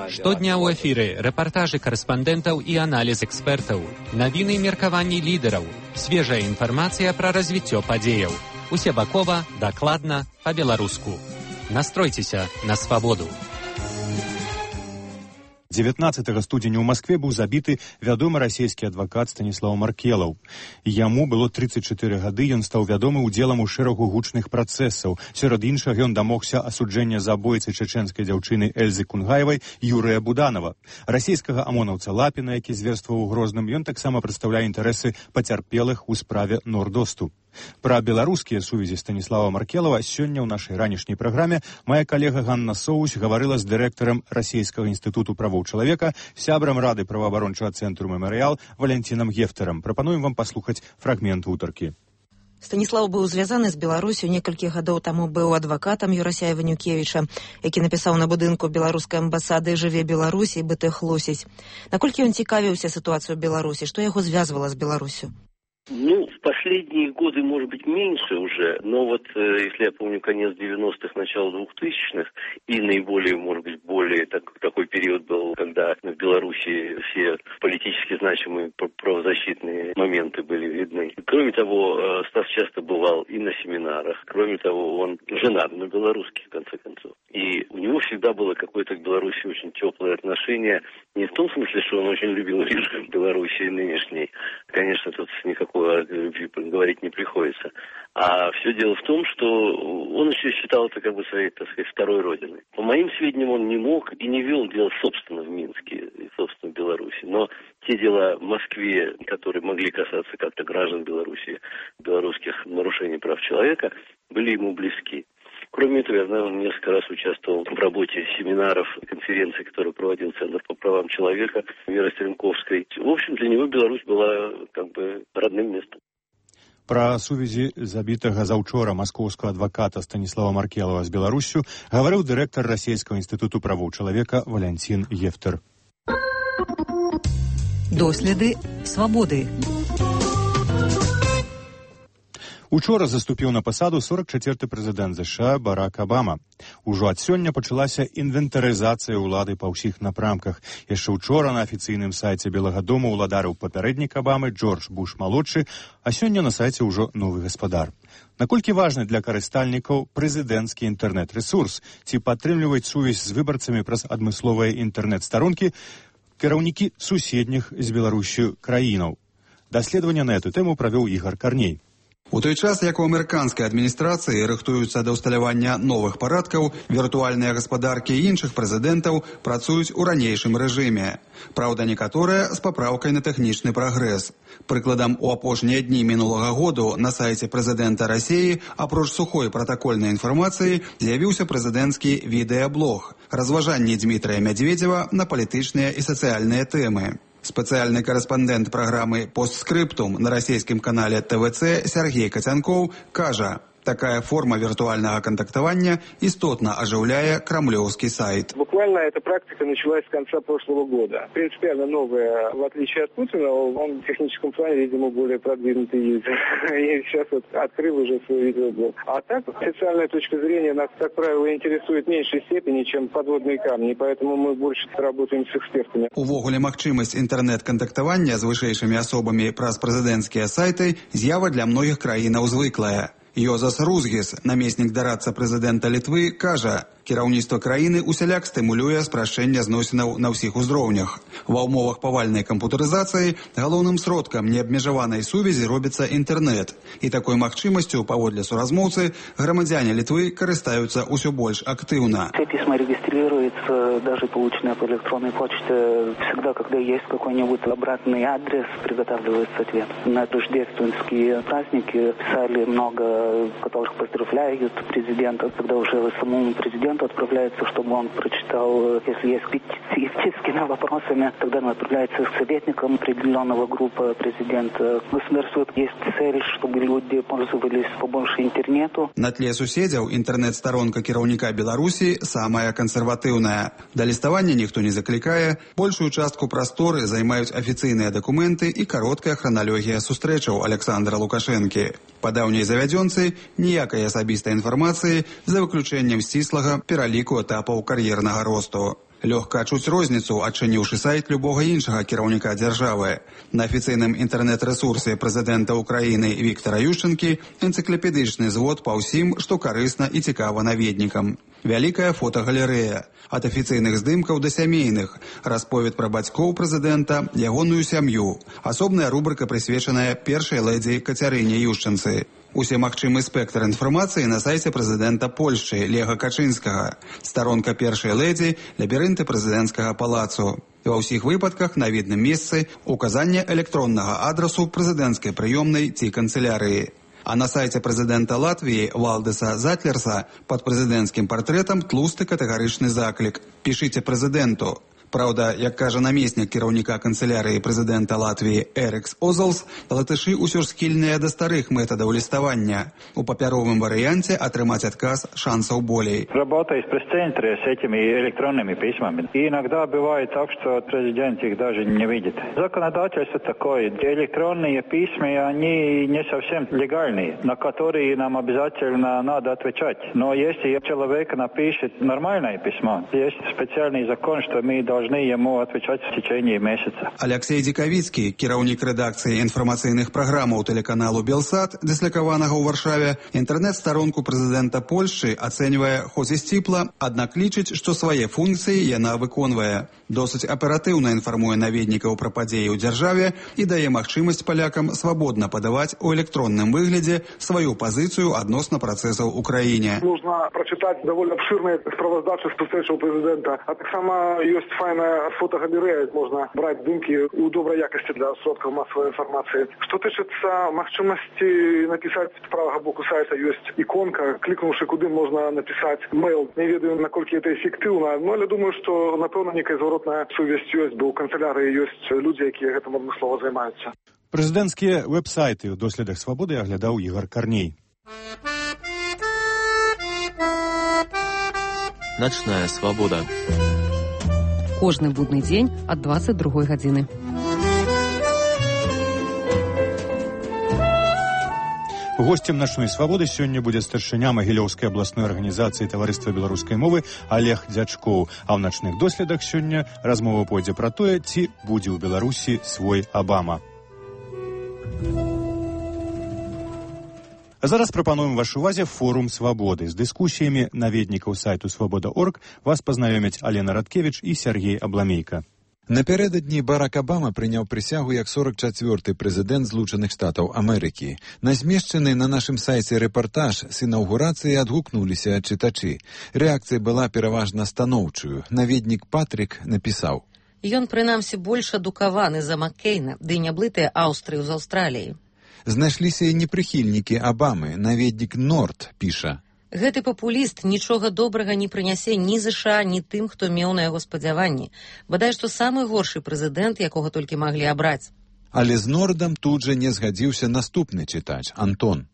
[SPEAKER 11] Штодня ў эфіры рэпартажы корэспандэнтаў і аналіз экспертаў, навіны і меркаванні лідараў, свежая інфармацыя пра развіццё падзеяў. Усебакова, дакладна, па-беларуску. Настройцеся на свабоду.
[SPEAKER 1] дзевятнаццатага студзеня ў Маскве быў забіты вядомы расійскі адвакат Станіслаў Маркелаў. Яму было тридцать четыре гады, ён стаў вядомы ўдзелам у шэрагу гучных працэсаў. Сярод іншага ён дамогся асуджэння забойцы чэчэнскай дзяўчыны Эльзы Кунгаевай Юрыя Буданова. Расійскага амонаўца Лапіна, які зверстваў у Грозным, ён таксама прадстаўляе інтарэсы пацярпелых у справе Нордосту. Пра беларускія сувязі Станіслава Маркелава сёння ў нашай ранішняй праграме моя калега Ганна Соусь гаварыла з дырэктарам Расійскага інстытуту правоў чалавека, сябрам Рады праваабарончага цэнтру «Мемарыял» Валянцінам Гефтарам. Прапануем вам паслухаць фрагмент гутаркі.
[SPEAKER 19] Станіслаў быў звязаны з Беларусю, некалькі гадоў таму быў адвакатам Юрасяя Ванюкевіча, які напісаў на будынку беларускай амбасады «Жыве Беларусь» і «Бытых лосіць». Наколькі ён цікавіўся сітуацыю ў Беларусі, што яго звязвала з Беларусю?
[SPEAKER 20] Ну, в последние годы, может быть, меньше уже, но вот, э, если я помню, конец девяностых, начало двухтысячных, и наиболее, может быть, более так, такой период был, когда в Беларуси все политически значимые правозащитные моменты были видны. Кроме того, э, Стас часто бывал и на семинарах. Кроме того, он женат на белорусских, в конце концов. И у него всегда было какое-то к Беларуси очень теплое отношение. Не в том смысле, что он очень любил режим Беларуси нынешней. Конечно, тут никакого любви говорить не приходится. А все дело в том, что он еще считал это как бы своей, так сказать, второй родиной. По моим сведениям, он не мог и не вел дела собственно в Минске и собственно в Беларуси. Но те дела в Москве, которые могли касаться как-то граждан Беларуси, белорусских нарушений прав человека, были ему близки. Кроме этого, я знаю, он несколько раз участвовал в работе семинаров, конференций, которые проводил Центр по правам человека Веры Стрелковской. В общем, для него Беларусь была как бы родным местом.
[SPEAKER 1] Пра сувязі забітага заўчора маскоўскага адваката Станіслава Маркелава з Беларуссю гаварыў дырэктар Расійскага інстытуту правоў чалавека Валянцін Гефтар.
[SPEAKER 12] Доследы свабоды.
[SPEAKER 1] Учора заступіў на пасаду сорок чацвёрты прэзідэнт ЗША Барак Абама. Ужо ад сёння пачалася інвентарызацыя ўлады па ўсіх напрамках. Яшчэ учора на афіцыйным сайце Белага дома ўладарыў папярэднік Абамы Джордж Буш-малодшы, а сёння на сайце ўжо новы гаспадар. Наколькі важны для карыстальнікаў прэзідэнцкі інтэрнэт-рэсурс, ці падтрымліваць сувязь з выбарцамі праз адмысловыя інтэрнэт-старонкі кіраўнікі суседніх з Беларусю краінаў? Даследаванне на эту тэму правёў Ігар Карней.
[SPEAKER 3] У той час, як у амерыканскай адміністрацыі рыхтуюцца да ўсталявання новых парадкаў, віртуальныя гаспадаркі іншых прэзідэнтаў працуюць у ранейшым рэжыме. Праўда, некаторыя з папраўкай на тэхнічны прагрэс. Прыкладам, у апошнія дні мінулага году на сайце прэзідэнта Расіі, апроч сухой пратакольнай інфармацыі, з'явіўся прэзідэнцкі відэаблог «Разважанні Дмітрия Медведева на палітычныя і сацыяльныя тэмы». Спецыяльны корэспандэнт праграмы «Постскрыптум» на расійскім канале тэ вэ цэ Сергей Кацянкоў кажа, такая форма виртуального контактования истотно оживляя кремлевский сайт.
[SPEAKER 9] Буквально эта практика началась с конца прошлого года. Принципиально новая, в отличие от Путина, он в техническом плане, видимо, более продвинутый юзер. И сейчас вот открыл уже свой видеоблог. А так, официальная точка зрения нас, как правило, интересует в меньшей степени, чем подводные камни. Поэтому мы больше работаем с экспертами.
[SPEAKER 3] Увогуле магчымасць інтэрнэт-кантактавання з вышэйшымі асобамі праз прэзідэнцкія сайты з'ява для многіх краінаў звыклая. Йозас Рузгіс, намеснік дарадца прэзідэнта Літвы, кажа, кіраўніцтва краіны усяляк стымулюе спрашчэнне зносінаў на ўсіх узроўнях. Ва ўмовах павальнай кампутарызацыі галоўным сродкам неабмежаванай сувязі робіцца інтэрнэт. І такой магчымасцю, паводле суразмоўцы, грамадзяне Літвы карыстаюцца ўсё больш актыўна.
[SPEAKER 21] Все письма регистрируются, даже полученные по электронной почте. Всегда, когда есть какой-нибудь обратный адрес, приготавливается ответ. На рождественские праздники писали много, которых поздравляют президента, когда уже самому президенту президенту отправляется, чтобы он прочитал, если есть петиции с какими вопросами, тогда он отправляется к советникам определенного группы президента. Государству есть цель, чтобы люди пользовались побольше интернету.
[SPEAKER 3] На тле суседзяў інтэрнэт-старонка кіраўніка Беларусі самая кансерватыўная. Да ліставання ніхто не заклікае, большую частку прасторы займаюць афіцыйныя дакументы і кароткая храналогія сустрэчаў Александра Лукашэнкі. Па даўняй завядзёнцы ніякай асабістай інфармацыі за выключэннем сціслага пераліку этапаў кар'ернага росту. Лёгка адчуць розніцу, адчыніўшы сайт любога іншага кіраўніка дзяржавы. На афіцыйным інтэрнэт-рэсурсе прэзідэнта Украіны Віктара Ющэнкі энцыклапедычны звод па ўсім, што карысна і цікава наведнікам. Вялікая фотагалерэя. Ад афіцыйных здымкаў да сямейных. Расповед пра бацькоў прэзідэнта, ягоную сям'ю. Асобная рубрыка прысвечаная першай лэдзі Кацярыне Ющэнцы. Усе магчымы спектр інфармацыі на сайце прэзідэнта Польшчы Лега Качынскага. Старонка першай лэдзі, лабірынты прэзідэнцкага палацу. І ва ўсіх выпадках на відным месцы указанне электроннага адрасу прэзідэнцкай прыёмнай ці канцылярыі. А на сайце прэзідэнта Латвіі Валдеса Затлерса пад прэзідэнцкім партрэтам тлусты катэгарычны заклік. Пішыце прэзідэнту. Праўда, як кажа намеснік кіраўніка канцылярыі прэзідэнта Латвіі Эрикс Озалс, латышы ўсё ж схільныя да старых метадаў ліставання. У папяровым варыянце атрымаць адказ шансаў болей.
[SPEAKER 2] Работая в пресс-центре с этими электронными письмами, и иногда бывает так, что президент их даже не видит. Законодательство такое. Электронные письма, они не совсем легальные, на которые нам обязательно надо отвечать. Но если человек напишет нормальное письмо, есть специальный закон, что мы должны должны ему отвечать в течение месяца.
[SPEAKER 3] Алексей Дзікавіцкі, кіраўнік рэдакцыі інфармацыйных праграмаў тэлеканалу Белсат, дыслякаванага ў Варшаве, інтэрнэт-старонку прэзідэнта Польшчы ацэньвае хоць і сціпла, аднак лічыць, што свае функцыі яна выконвае. Досыць аператыўна інфармуе наведнікаў пра падзеі ў дзяржаве і дае магчымасць палякам свабодна падаваць у электронным выглядзе сваю пазіцыю адносна працэсаў у краіне.
[SPEAKER 9] Можна прачытаць даволі абшырныя справаздачы сустрэчаў прэзідэнта, а таксама ёсць файная фотогалерея, можно брать здымки у доброй якости для сродков массовой информации. Что тычыцца магчымасці написать с правого боку сайта есть иконка, кликнувши куды можно написать мейл. Не ведаю, наколькі это эффективно, но я думаю, что напэўна некая зворотная сувязь ёсць, бо у канцелярии есть люди, якія гэтым адмыслова займаюцца.
[SPEAKER 1] Прэзідэнцкія веб-сайты ў доследах свабоды аглядаў Ігор Карней.
[SPEAKER 22] Ночная свобода.
[SPEAKER 23] Кожны будны дзень ад дваццаць другой гадзіны.
[SPEAKER 1] Гостем «Ночной свободы» сёння будзе старшыня Магілёўскай абласной арганізацыі таварыства беларускай мовы Олег Дзячкоў. А ў начных доследах сёння размова пойдзе пра тое, ці будзе ў Беларусі свой Абама. А зараз прапануем вашай увазе форум свабоды. З дыскусіямі наведнікаў сайту свабода точка орг вас пазнаёмяць Алена Радкевіч і Сергей Абламейка.
[SPEAKER 24] Напярэдадні Барак Абама прыняў прысягу як сорок чацвёрты прэзідэнт Злучаных Штатаў Амерыкі. На змешчаны на нашым сайце рэпартаж з інаўгурацыі адгукнуліся чытачы. Рэакцыя была пераважна станоўчую. Наведнік Патрик напісаў:
[SPEAKER 12] Ён, прынамсі, больш адукаваны за Маккейна, ды не блытыя Аўстрыю з Аўстраліяй.
[SPEAKER 24] Знайшліся і непрыхільнікі Абамы. Наведнік Норд піша:
[SPEAKER 12] Гэты папуліст нічога добрага не прынясе ні ЗША, ні тым, хто меў на яго спадзяванні. Бадай, што самы горшы прэзідэнт, якога толькі маглі абраць.
[SPEAKER 24] Але з Нордам тут жа не згадзіўся наступны чытач, Антон.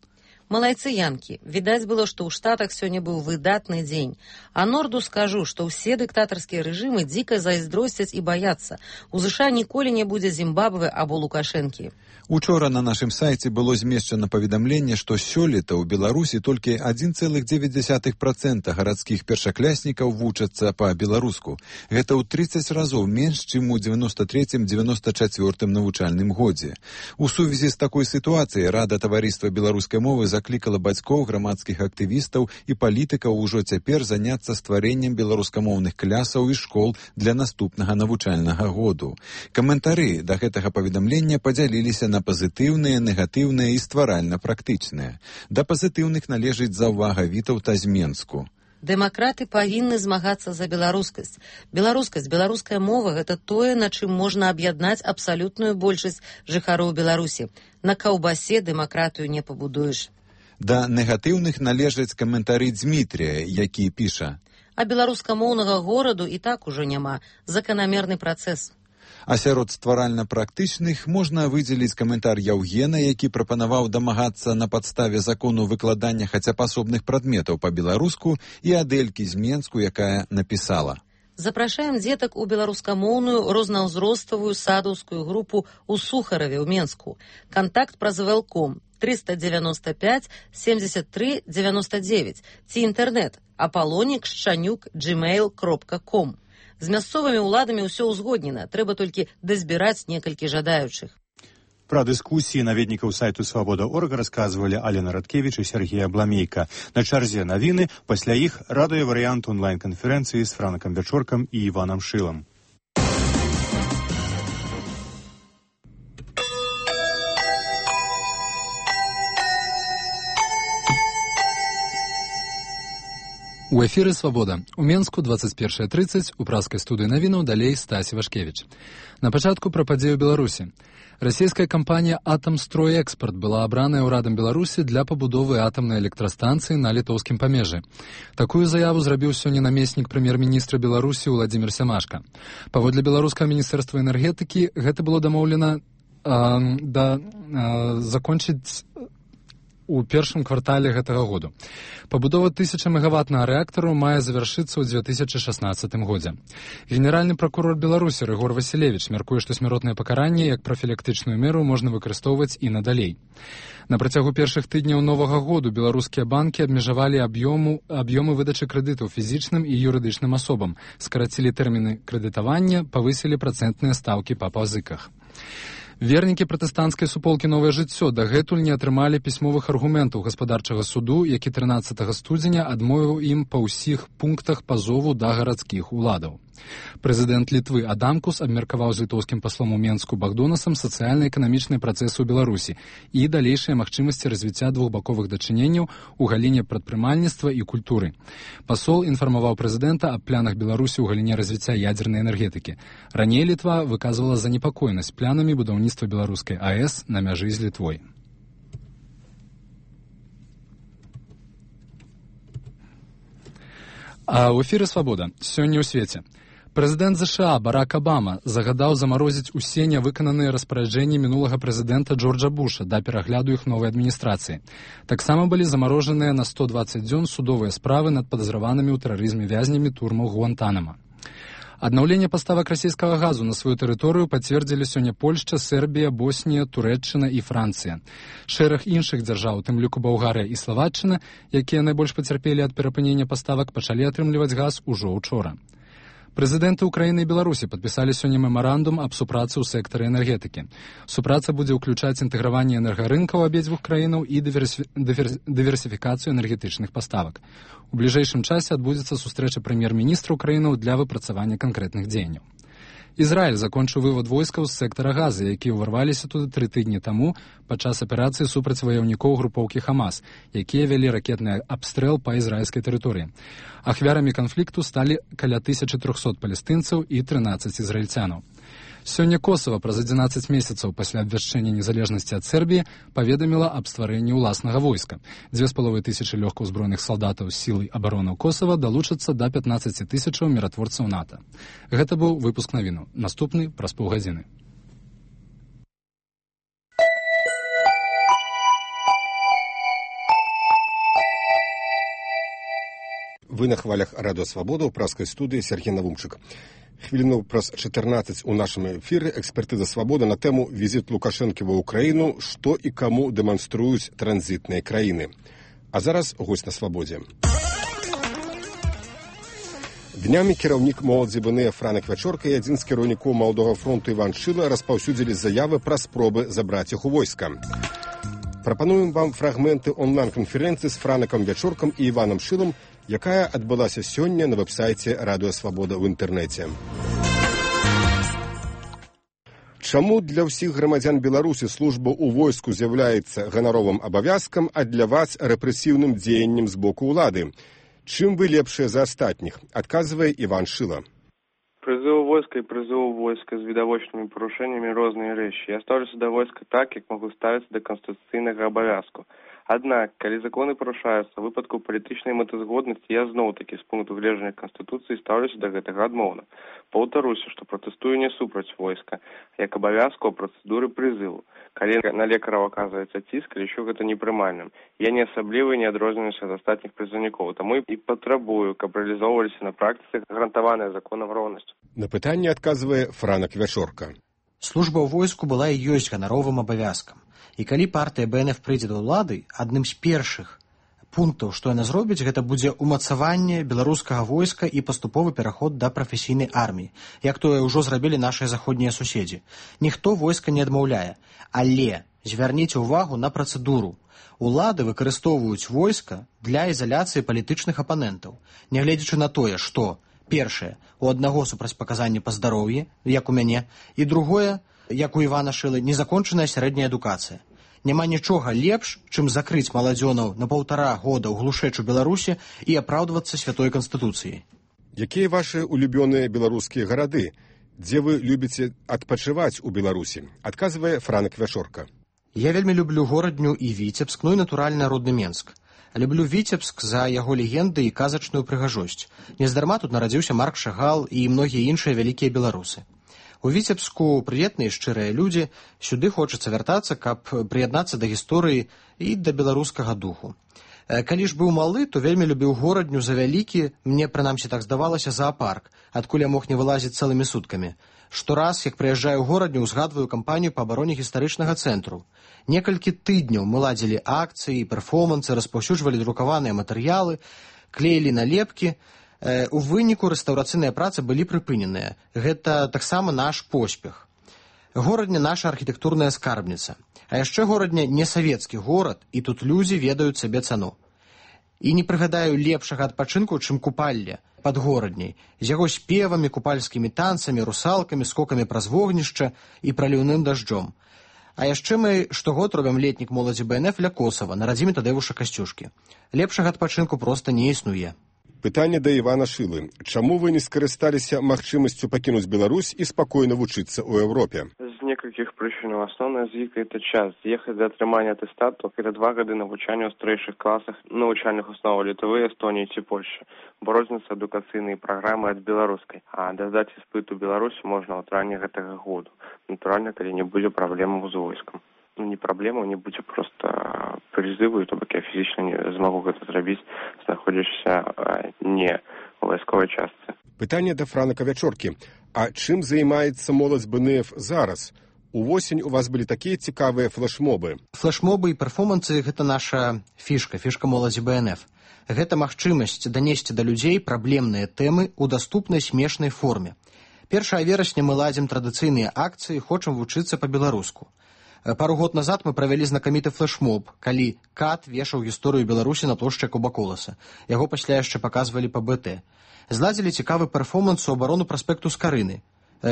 [SPEAKER 12] Малайцы янкі, відаць было, што ў Штатах сёння быў выдатны дзень. А Норду скажу, што ўсе дыктатарскія рэжымы дзіка зайздросцяць і баяцца. У ЗША ніколі не будзе Зімбабве або Лукашэнкі.
[SPEAKER 24] Учора на нашым сайце было змешчана паведамленне, што сёлета ў Беларусі толькі адзін цэлых дзевяць дзесятых працэнта гарадскіх першакляснікаў вучацца па-беларуску. Гэта ў трыццаць разоў менш, чым у дзевяноста трэцім дзевяноста чацвёртым навучальным годзе. У сувязі з такой сітуацыяй Рада таварыства беларускай мовы заклікала бацькоў, грамадскіх актывістаў і палітыкаў ужо цяпер заняцца стварэннем беларускамоўных клясаў і школ для наступнага навучальнага году. Каментары да гэтага паведамлення падзяліліся на пазітыўныя, негатыўныя і стваральна-практычныя. Да пазітыўных належыць заўвага Вітаўта з Менску.
[SPEAKER 12] Дэмакраты павінны змагацца за беларускасць. Беларускасць, беларуская мова – гэта тое, на чым можна аб'яднаць абсалютную большасць жыхароў Беларусі. На каўбасе дэмакратыю не пабудуеш.
[SPEAKER 24] Да негатыўных належаць каментары Дзмітрія, які піша:
[SPEAKER 12] А беларускамоўнага гораду і так ужо няма. Заканамерны працэс.
[SPEAKER 24] А сярод стваральна-практычных можна выдзеліць каментар Яўгена, які прапанаваў дамагацца на падставе закону выкладання хаця б асобных прадметаў па-беларуску, і Адэлькі з Менску, якая напісала:
[SPEAKER 12] Запрашаем дзетак у беларускамоўную рознаўзроставую садаўскую групу ў Сухараве ў Менску. Кантакт праз вэлком триста девяносто пять семьдесят три девяносто девять ці інтэрнэт апалонік шчанюк джимейл кропка ком. З мясцовымі ўладамі ўсё ўзгоднена, трэба толькі дазбіраць некалькі жадаючых.
[SPEAKER 1] Пра дыскусіі наведнікаў сайту свабода точка орг расказвалі Алена Радкевіч і Сергей Абламейка. На чарзе навіны, пасля іх радыёварыянт онлайн-канферэнцыі з Франкам Вячоркам і Іванам Шылам.
[SPEAKER 4] У эфіры «Свабода». У Менску двадцать первая тридцать, у праскай студыі навінаў далей Стасі Вашкевіч. На пачатку пра падзею Беларусі. Расійская кампанія «Атамстройэкспарт» была абраная ўрадам Беларусі для пабудовы атамнай электрастанцыі на літоўскім памежжы. Такую заяву зрабіў сёння намеснік прэм'ер-міністра Беларусі Уладзімір Сямашка. Паводле беларускага міністэрства энергетыкі гэта было дамоўлена э, да э, закончыць у першым квартале гэтага году. Пабудова тысяча мегаваттнага рэактару мае завяршыцца ў две тысячы шаснаццатым годзе. Генеральны пракурор Беларусі Рыгор Васілевіч мяркуе, што смяротнае пакаранне як прафілактычную меру можна выкарыстоўваць і надалей. На працягу першых тыдняў новага году беларускія банкі абмежавалі аб'ёму аб'ёмы выдачы крэдытаў фізічным і юрыдычным асобам, скарацілі тэрміны крэдытавання, павысілі працэнтныя стаўкі па пазыках. Вернікі пратэстанцкай суполкі «Новае жыццё» дагэтуль не атрымалі пісьмовых аргументаў гаспадарчага суду, які трынаццатага студзеня адмовіў ім па ўсіх пунктах пазову да гарадскіх уладаў. Прэзідэнт Літвы Адамкус абмеркаваў з літоўскім паслом у Менску Багдонасам сацыяльна-эканамічныя працэсы ў Беларусі і далейшыя магчымасці развіцця двухбаковых дачыненняў у галіне прадпрымальніцтва і культуры. Пасол інфармаваў прэзідэнта аб планах Беларусі ў галіне развіцця ядзернай энергетыкі. Раней Літва выказвала занепакоенасць планамі будаўніцтва беларускай АЭС на мяжы з Літвой. А ў эфіры «Свабода». Сёння ў свеце. Прэзідэнт ЗША Барак Абама загадаў замарозіць усе нявыкананыя распараджэнні мінулага прэзідэнта Джорджа Буша да перагляду іх новай адміністрацыі. Таксама былі замарожаныя на сто дваццаць дзён судовыя справы над падазраванымі ў тэрарызме вязнямі турмаў Гуантанама. Аднаўленне паставак расійскага газу на сваю тэрыторыю пацвердзілі сёння Польшча, Сербія, Боснія, Турэччына і Францыя. Шэраг іншых дзяржаў, у тым ліку Балгарыя і Славаччына, якія найбольш пацярпелі ад перапынення паставак, пачалі атрымліваць газ ужо учора. Прэзідэнты Украіны і Беларусі падпісалі сёння мемарандум аб супрацы ў сектары энергетыкі. Супраца будзе ўключаць інтэграванне энергарынкаў абедзвюх краінаў і дыверсіфікацыю энергетычных паставак. У бліжэйшым часе адбудзецца сустрэча прэм'ер-міністра краінаў для выпрацавання канкрэтных дзеянняў. Ізраіль закончыў вывод войскаў з сектара Газы, якія ўварваліся туды тры тыдні таму падчас аперацыі супраць ваяўнікоў групоўкі Хамас, якія вялі ракетны абстрэл па ізраільскай тэрыторыі. Ахвярамі канфлікту сталі каля тысячы трохсот палестынцаў і трынаццаць ізраільцянаў. Сёння Косава праз адзінаццаць месяцаў пасля абвяшчэння незалежнасці ад Сербіі паведаміла аб стварэнні ўласнага войска. Дзве з паловай тысячы лёгкаўзброеных салдатаў з сілай абаронаў Косава далучацца да пятнаццаці тысячаў міратворцаў НАТО. Гэта быў выпуск навінаў. Наступны праз паўгадзіны.
[SPEAKER 5] Вы на хвалях Радио Свобода ў праскай студыі Сергей Навумчык. Хвіліну праз чатырнаццаць у нашым эфіры экспертыза «Свобода» на тэму візіт Лукашэнкі ва ўкраіну, што і каму дэманструюць транзітныя краіны. А зараз госць на «Свободзе». Днямі кіраўнік моладзі БНЭ Франак Вячорка і адзін з кіраўнікоў Маладога фронту Іван Шыла распаўсюдзілі заявы пра спробы забраць іх у войска. Прапануем вам фрагменты онлайн-канферэнцыі з Франакам Вячоркам і Іванам Шылам, якая адбылася сёння на вэб-сайце Радыё Свабода ў інтэрнэце. Чаму для ўсіх грамадзян Беларусі служба ў войску з'яўляецца ганаровым абавязкам, а для вас рэпрэсіўным дзеяннем з боку ўлады? Чым вы лепшыя за астатніх? Адказвае Іван Шыла.
[SPEAKER 6] Призыв войска и призыв войска с видовочными порушениями разные вещи. Я ставлюся до войска так, как могу ставиться до конституційного обов'язку. Аднак, калі законы парушаюцца ў выпадку палітычнай мэтазгоднасці, я зноў-такі з пункту гледжання Канстытуцыі стаўлюся да гэтага адмоўна. Паўтаруся, што пратэстую не супраць войска, як абавязку ў працэдуры прызыву. Калі на лекараў аказваецца ціск, лічу гэта непрымальным. Я не асабліва не адрозніваюся ад астатніх прызыўнікоў, таму і патрабую, каб рэалізоўваліся на практыцы гарантаваная законам роўнасць.
[SPEAKER 5] На пытанне адказвае Франак Вячорка.
[SPEAKER 7] Служба ў войску была і ёсць ганаровым абавязкам. І калі партыя бэ эн эф прыйдзе да ўлады, адным з першых пунктаў, што яна зробіць, гэта будзе ўмацаванне беларускага войска і паступовы пераход да прафесійнай арміі, як тое ўжо зрабілі нашыя заходнія суседзі. Ніхто войска не адмаўляе, але звярніце ўвагу на працэдуру. Улады выкарыстоўваюць войска для ізаляцыі палітычных апанентаў, нягледзячы на тое, што першае, у аднаго супрацьпаказанні па здароўі, як у мяне, і другое, як у Івана Шылы, незакончаная сярэдняя адукацыя. Няма нічога лепш, чым закрыць маладзёнаў на паўтара года ў глушэчу Беларусі і апраўдвацца святой канстытуцыяй.
[SPEAKER 5] Якія вашы улюбёныя беларускія гарады? Дзе вы любіце адпачываць у Беларусі? Адказвае Франак Вячорка.
[SPEAKER 7] Я вельмі люблю горадню і Віцебск, ну і натуральна родны Менск. Люблю Віцебск за яго легенды і казачную прыгажосць. Нездарма тут нарадзіўся Марк Шагал і многія іншыя вялікія беларусы. У Віцебску прыветныя шчырыя людзі, сюды хочацца вяртацца, каб прыяднацца да гісторыі і да беларускага духу. Калі ж быў малы, то вельмі любіў горадню за вялікі, мне прынамсі так здавалася, зоапарк, адкуль я мог не вылазіць цэлымі суткамі. Штораз, як прыязджаю ў горадню, узгадваю кампанію па абароне гістарычнага цэнтру. Некалькі тыдняў мы ладзілі акцыі, перформансы, распаўсюджвалі друкаваныя матэрыялы, клеілі налепкі. У выніку рэстаўрацыйныя працы былі прыпыненыя. Гэта таксама наш поспех. Горадня наша архітэктурная скарбніца. А яшчэ горадня не савецкі горад, і тут людзі ведаюць сабе цану. І не прыгадаю лепшага адпачынку, чым купалле пад горадняй, з яго спевамі, купальскімі танцамі, русалкамі, скокамі праз вогнішча і праліўным дажджом. А яшчэ мы штогод робім летнік моладзі бэ эн эф ля Косава, на радзіме Тадэвуша Касцюшкі. Лепшага адпачынку проста не існуе.
[SPEAKER 5] Пытанне да Івана Шылы. Чаму вы не скарысталіся магчымасцю пакінуць Беларусь і спакойна вучыцца ў Еўропе?
[SPEAKER 6] З некалькіх прычын. Асноўная з іх – это час. З'ехаць да атрымання атэстату – это два гады навучання ў старэйшых класах навучальных основаў Літвы, Эстоніі ці Польшчы, бо розняцца адукацыйныя праграмы ад беларускай. А дадаць іспыт у Беларусі можна ў травні гэтага году. Натуральна, калі не будзе праблемаў з войскам. Ну, не праблема, не будзе проста прызыву, то бок я фізічна не змагу гэта зрабіць, знаходзячыся не ў вайсковай частцы.
[SPEAKER 5] Пытанне да Франака Вячоркі. А чым займаецца моладзь бэ эн эф зараз? Увосень у вас былі такія цікавыя флешмобы.
[SPEAKER 7] Флешмобы і перформансы – гэта наша фішка, фішка моладзі бэ эн эф. Гэта магчымасць данесці да людзей праблемныя тэмы ў даступнай смешнай форме. першага верасня мы ладзім традыцыйныя акцыі, хочам вучыцца па-беларуску. Пару год назад мы правялі знакаміты флешмоб, калі Кат вешаў гісторыю Беларусі на плошчы Кубаколаса. Яго пасля яшчэ паказвалі па бэ тэ. Зладзілі цікавы перформанс у абарону праспекту Скарыны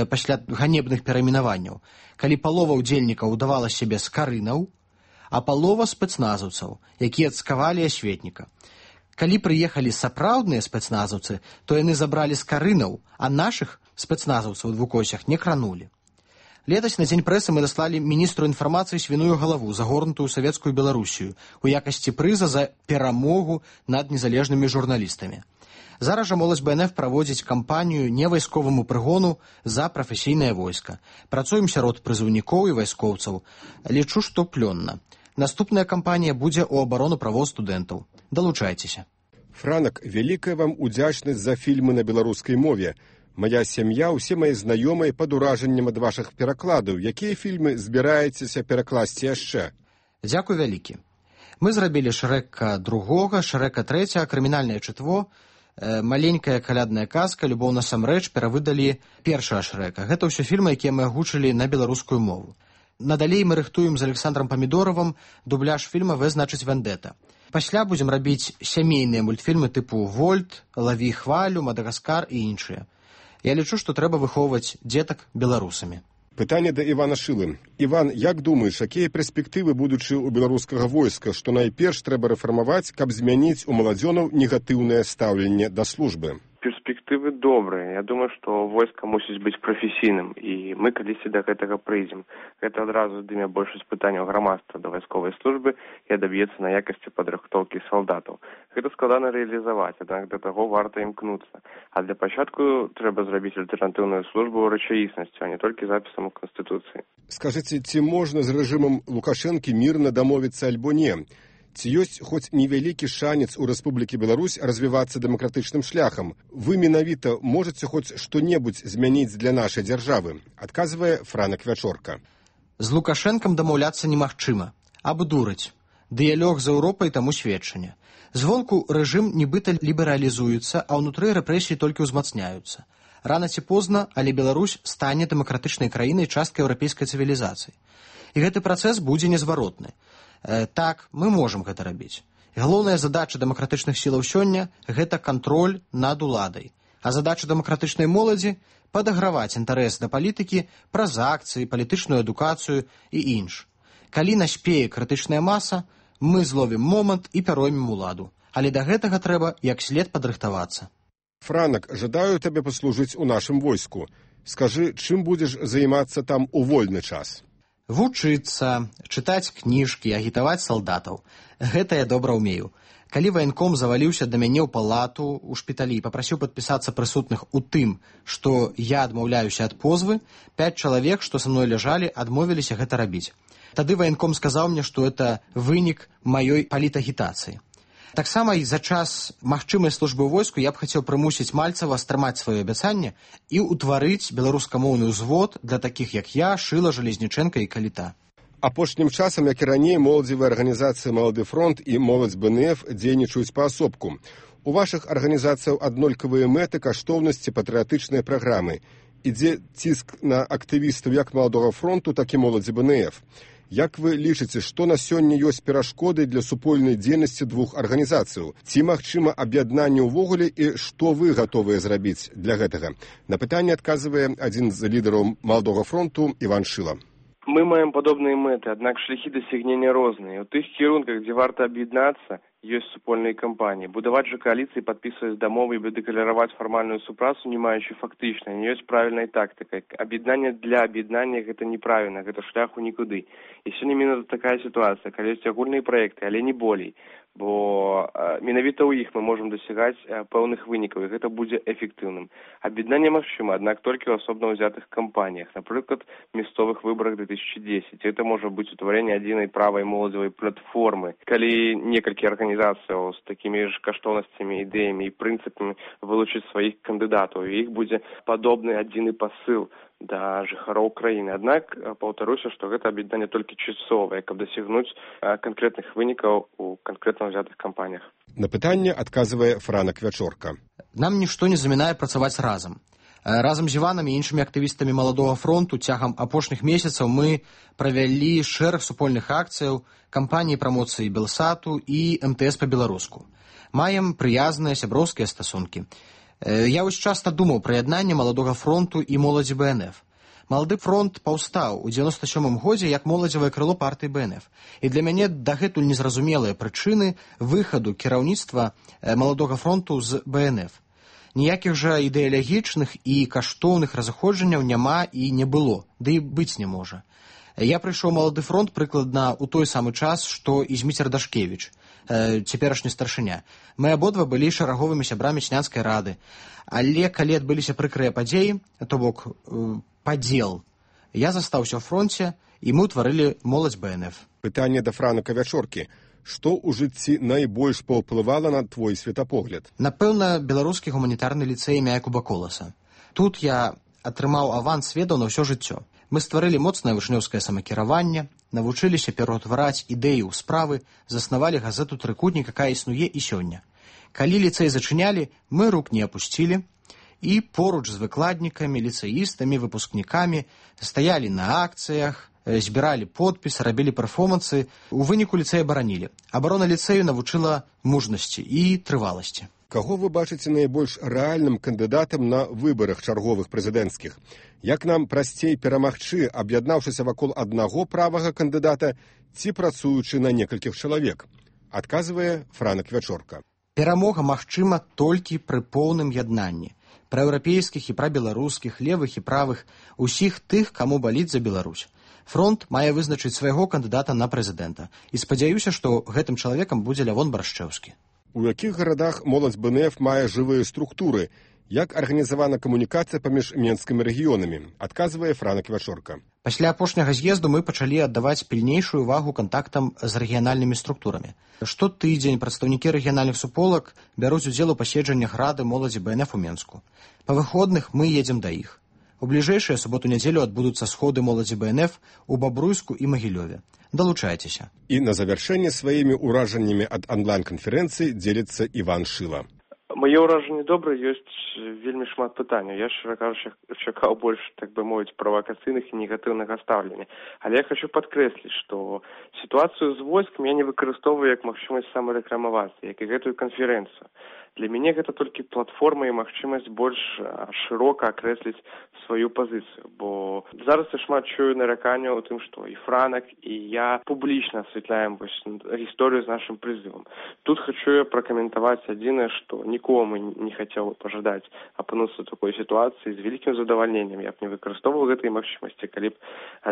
[SPEAKER 7] пасля ганебных перайменаванняў, калі палова ўдзельнікаў удавала сябе скарынаў, а палова спецназаўцаў, якія цкавалі асветніка. Калі прыехалі сапраўдныя спецназаўцы, то яны забралі скарынаў, а нашых спецназаўцаў у двукосях не кранулі. Летась на дзень прэсы мы даслалі міністру інфармацыі свіную галаву, загорнутую савецкую Беларусію, у якасці прыза за перамогу над незалежнымі журналістамі. Зараз жа моладзь бэ эн эф праводзіць кампанію невайсковаму прыгону за прафесійнае войска. Працуем сярод прызыўнікоў і вайскоўцаў. Лічу, што плённа. Наступная кампанія будзе ў абарону правоў студэнтаў. Далучайцеся.
[SPEAKER 5] Франак, вялікая вам удзячнасць за фільмы на беларускай мове. Мая сям'я, усе мае знаёмыя пад уражаннем ад вашых перакладаў. Якія фільмы збіраецеся перакласці яшчэ?
[SPEAKER 7] Дзякуй вялікі. Мы зрабілі Шрэка другога, Шрэка трэцяга, крымінальнае чытво, э, маленькая калядная казка, любоў насамрэч перавыдалі першага Шрэка. Гэта ўсё фільмы, якія мы агучылі на беларускую мову. Надалей мы рыхтуем з Александром Памідоравым дубляж фільма «Вэ значыць вендэта». Пасля будзем рабіць сямейныя мультфільмы тыпу «Вольт», «Лаві хвалю», «Мадагаскар» і іншыя. Я лічу, што трэба выхоўваць дзетак беларусамі.
[SPEAKER 5] Пытанне да Івана Шылы. Іван, як думаеш, якія перспектывы будучы ў беларускага войска, што найперш трэба рэфармаваць, каб змяніць у маладзёнаў негатыўнае стаўленне да службы?
[SPEAKER 6] Перспектывы добрыя. Я думаю, што войска мусіць быць прафесійным, і мы калісьці да гэтага прыйдзем. Гэта адразу здыме большасць пытанняў грамадства да вайсковай службы і адаб'ецца на якасці падрыхтоўкі салдатаў. Гэта складана рэалізаваць, аднак да таго варта імкнуцца. А для пачатку трэба зрабіць альтэрнатыўную службу ў рэчаіснасцю, а не толькі запісам у Канстытуцыі.
[SPEAKER 5] Скажыце, ці можна з рэжымам Лукашэнкі мірна дамовіцца альбо не? Ці ёсць хоць невялікі шанец у Рэспублікі Беларусь развівацца дэмакратычным шляхам? Вы менавіта можаце хоць што-небудзь змяніць для нашай дзяржавы? Адказвае Франак Вячорка.
[SPEAKER 7] З Лукашэнкам дамаўляцца немагчыма. Абдурыць. Дыялог з Еўропай таму сведчанне. Звонку рэжым нібыта лібералізуецца, а ўнутры рэпрэсіі толькі ўзмацняюцца. Рана ці позна, але Беларусь стане дэмакратычнай краінай часткай еўрапейскай цывілізацыі. І гэты працэс будзе незваротны. Э, так, мы можам гэта рабіць. Галоўная задача дэмакратычных сілаў сёння – гэта кантроль над уладай. А задача дэмакратычнай моладзі – падаграваць інтарэс да палітыкі праз акцыі, палітычную адукацыю і інш. Калі наспее крытычная маса, мы зловім момант і пяроймем уладу. Але да гэтага трэба як след падрыхтавацца.
[SPEAKER 5] Франак, жадаю табе паслужыць у нашым войску. Скажы, чым будзеш займацца там у вольны час?
[SPEAKER 7] Вучыцца, чытаць кніжкі, агітаваць салдатаў. Гэта я добра ўмею. Калі ваенком заваліўся да мяне ў палату ў шпіталі і папрасіў падпісацца прысутных у тым, што я адмаўляюся ад позвы, пяць чалавек, што са мной ляжалі, адмовіліся гэта рабіць. Тады ваенком сказаў мне, што это вынік маёй палітагітацыі. Таксама і за час магчымай службы ў войску я б хацеў прымусіць Мальцева стрымаць сваё абяцанне і ўтварыць беларускамоўны ўзвод для такіх, як я, Шыла, Жалезнічэнка і Каліта.
[SPEAKER 5] Апошнім часам, як і раней, моладзевыя арганізацыі «Малады фронт» і «Моладзь БНФ» дзейнічаюць паасобку. У вашых арганізацыяў аднолькавыя мэты, каштоўнасці, патрыятычныя праграмы. Ідзе ціск на актывістаў як «Маладога фронту», так і «Моладзі БНФ». Як вы лічыце, што на сёння ёсць перашкоды для супольнай дзейнасці двух арганізацыяў? Ці магчыма аб'яднанне ўвогуле і што вы гатовыя зрабіць для гэтага? На пытанне адказвае адзін з лідараў «Маладога фронту» Іван Шыла.
[SPEAKER 6] Мы маем падобныя мэты, аднак шляхі дасягнення розныя. У тых кірунках, дзе варта аб'яднацца, ёсць супольныя кампаніі. Будаваць жа кааліцыі, падпісваць дамовы і дэклараваць фармальную супрацу, не маючы фактычна, не ёсць правільнай тактыкай. Аб'яднанне для аб'яднання гэта неправільна, гэта шлях у нікуды. І сёння менавіта такая сітуацыя, калі ёсць агульныя праекты, але не болей. Бо э, менавіта ў іх мы можам дасягаць э, пэўных вынікаў, і гэта будзе эфектыўным. Аб'яднанне магчыма, аднак толькі ў асобна ўзятых кампаніях, напрыклад, мясцовых выбарах две тысячи десять. Гэта можа быць утварэнне адзінай правай моладзевай платформы. Калі некалькі арганізацыяў з такімі ж каштоўнасцямі, ідэямі і прынцыпамі вылучыць сваіх кандыдатаў, і іх будзе падобны адзіны пасыл да жыхароў краіны. Аднак, паўтаруся, што гэта аб'яднанне толькі часовае, каб дасягнуць канкрэтных вынікаў у канкрэтна ўзятых кампаніях.
[SPEAKER 5] На пытанне адказвае Франак Вячорка.
[SPEAKER 7] Нам нішто не замінае працаваць разам. Разам з Іванам і іншымі актывістамі «Маладога фронту» цягам апошніх месяцаў мы правялі шэраг супольных акцыяў, кампаніі прамоцыі Белсату і эм тэ эс па-беларуску. Маем прыязныя сяброўскія стасункі. Я ўвесь часта думаў пра яднанне «Маладога фронту» і «Моладзі БНФ». «Малады фронт» паўстаў у дзевяносто сёмым годзе як моладзевае крыло партыі БНФ. І для мяне дагэтуль незразумелыя прычыны выхаду кіраўніцтва «Маладога фронту» з БНФ. Ніякіх жа ідэалагічных і каштоўных разыходжанняў няма і не было, ды і быць не можа. Я прыйшоў «Малады фронт» прыкладна ў той самы час, што і Зміцер Дашкевіч, цяперашні старшыня. Мы абодва былі шараговымі сябрамі Снянскай рады. Але калі адбыліся прыкрыя падзеі, то бок падзел, я застаўся ў фронце, і мы ўтварылі «Моладзь БНФ».
[SPEAKER 5] Пытанне да Франака Вячоркі. Што ў жыцці найбольш паўплывала на твой светапогляд?
[SPEAKER 7] Напэўна, беларускі гуманітарны ліцэй імя Якуба Коласа. Тут я атрымаў аванс ведаў на ўсё жыццё. Мы стварылі моцнае вышнёўскае самакіраванне, навучыліся пераўтвараць ідэі ў справы, заснавалі газету «Трыкутнік», якая існуе і сёння. Калі ліцэй зачынялі, мы рук не апусцілі, і поруч з выкладнікамі, ліцэістамі, выпускнікамі стаялі на акцыях, збіралі подпіс, рабілі перформансы, у выніку ліцэй абаранілі. Абарона ліцэю навучыла мужнасці і трываласці.
[SPEAKER 5] Каго вы бачыце найбольш рэальным кандыдатам на выбарах чарговых прэзідэнцкіх? Як нам прасцей перамагчы, аб'яднаўшыся вакол аднаго правага кандыдата ці працуючы на некалькіх чалавек? Адказвае Франак Вячорка.
[SPEAKER 7] Перамога магчыма толькі пры поўным яднанні праеўрапейскіх і прабеларускіх, левых і правых, усіх тых, каму баліць за Беларусь. Фронт мае вызначыць свайго кандыдата на прэзідэнта. І спадзяюся, што гэтым чалавекам будзе Лявон Баршчэўскі.
[SPEAKER 5] У якіх гарадах моладзь бэ эн эф мае жывыя структуры? Як арганізавана камунікацыя паміж менскімі рэгіёнамі? Адказвае Франак Вячорка.
[SPEAKER 7] Пасля апошняга з'езду мы пачалі аддаваць пільнейшую увагу кантактам з рэгіянальнымі структурамі. Штотыдзень прадстаўнікі рэгіянальных суполак бяруць удзел у паседжаннях рады моладзі бэ эн эф у Менску. Па выходных мы едзем да іх. У бліжэйшыя суботу-нядзелю адбудуцца сходы моладзі бэ эн эф у Бабруйску і Магілёве. Далучайцеся.
[SPEAKER 5] І на завяршэнне сваімі ўражаннямі ад онлайн-канферэнцыі дзеліцца Іван Шыла.
[SPEAKER 6] Мае ўражанні добрыя, ёсць вельмі шмат пытанняў. Я, шчыра кажучы, чакаў больш, так бы мовіць, правакацыйных і негатыўнага стаўлення. Але я хочу падкрэсліць, што сітуацыю з войскам я не выкарыстоўваю як магчымасць самарэкламавацца, як і гэтую канферэнцыю. Для мяне гэта толькі платформа і магчымасць больш шырока акрэсліць сваю пазіцыю, бо зараз я шмат чую нараканняў у тым, што і Франак, і я публічна асвятляем гісторыю з нашым прызывам. Тут хочу я пракаментаваць адзінае, што нікому не хацеў пажадаць апынуцца ў такой сітуацыі з вялікім задавальненнем. Я б не выкарыстоўваў гэтай магчымасці, калі б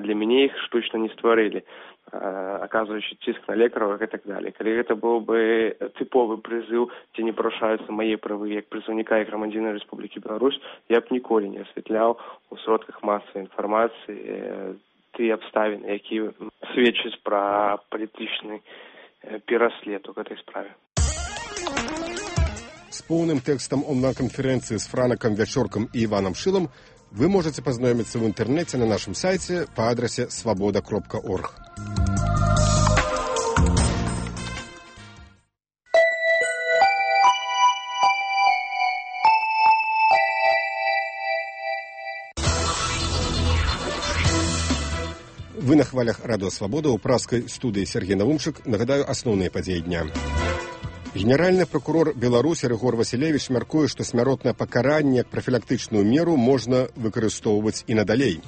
[SPEAKER 6] для мяне іх штучна не стварылі, аказваючы ціск на лекараў і так далее. Калі гэта быў бы тыповы прызыў, дзе не парушаюцца мае правы як прызыўніка і грамадзяніна Рэспублікі Беларусь, я б ніколі не асвятляў у сродках масавай інфармацыі тыя абставіны, якія сведчаць пра палітычны пераслед у гэтай справе.
[SPEAKER 5] С поўным тэкстам онлайн-канферэнцыі з Франакам Вячоркам і Іванам Шылам вы можете пазнаёміцца ў інтэрнэце на нашым сайце па адрасе свабода кропка орг. Вы на хвалях Радио Свобода, у праскай студыі Сергей Навумчык. Нагадаю асноўныя падзеі дня. Генеральны прокурор Беларусі Рыгор Васілевіч мяркуе, што смяротнае пакаранне як прафілактычную меру можна выкарыстоўваць і надалей.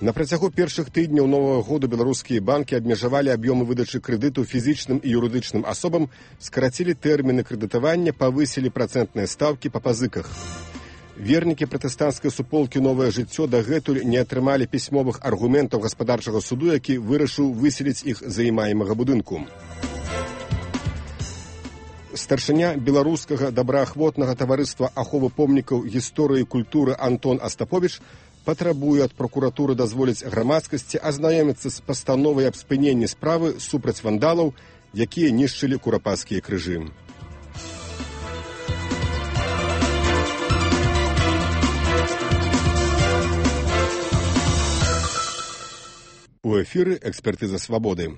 [SPEAKER 5] На працягу першых тыдняў новага году беларускія банкі абмежавалі аб'ёмы выдачы крэдыту фізічным і юрыдычным асобам, скарацілі тэрміны крэдытавання, павысілі працэнтныя стаўкі па пазыках. Вернікі пратэстанцкай суполкі «Новае жыццё» дагэтуль не атрымалі пісьмовых аргументаў гаспадарчага суду, які вырашыў выселіць іх з займаемага будынку. Старшыня беларускага добраахвотнага таварыства аховы помнікаў гісторыі і культуры Антон Астаповіч патрабуе ад прокуратуры дазволіць грамадскасці азнаёміцца з пастановай аб спыненні справы супраць вандалаў, якія нішчылі курапацкія крыжы. У эфіры «Экспертыза свабоды».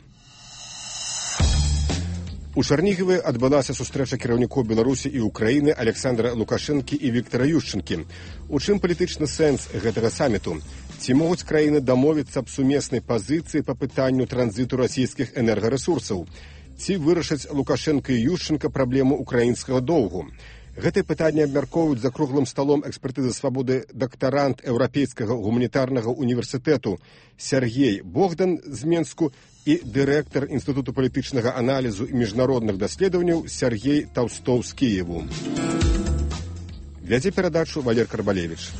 [SPEAKER 5] У Чарнігаве адбылася сустрэча кіраўнікоў Беларусі і Украіны Александра Лукашэнкі і Віктара Ющэнкі. У чым палітычны сэнс гэтага саміту? Ці могуць краіны дамовіцца аб сумеснай пазіцыі па пытанню транзіту расійскіх энергарэсурсаў? Ці вырашаць Лукашэнка і Ющэнка праблему украінскага доўгу? Гэтае пытанне абмяркоўваюць за круглым сталом экспертызы свабоды дактарант Еўрапейскага гуманітарнага універсітэту Сергей Богдан з Менску і дырэктар Інстытуту палітычнага аналізу і міжнародных даследаванняў Сергей Таўстоў з Кіеву. Вядзе перадачу Валер Карбалевіч.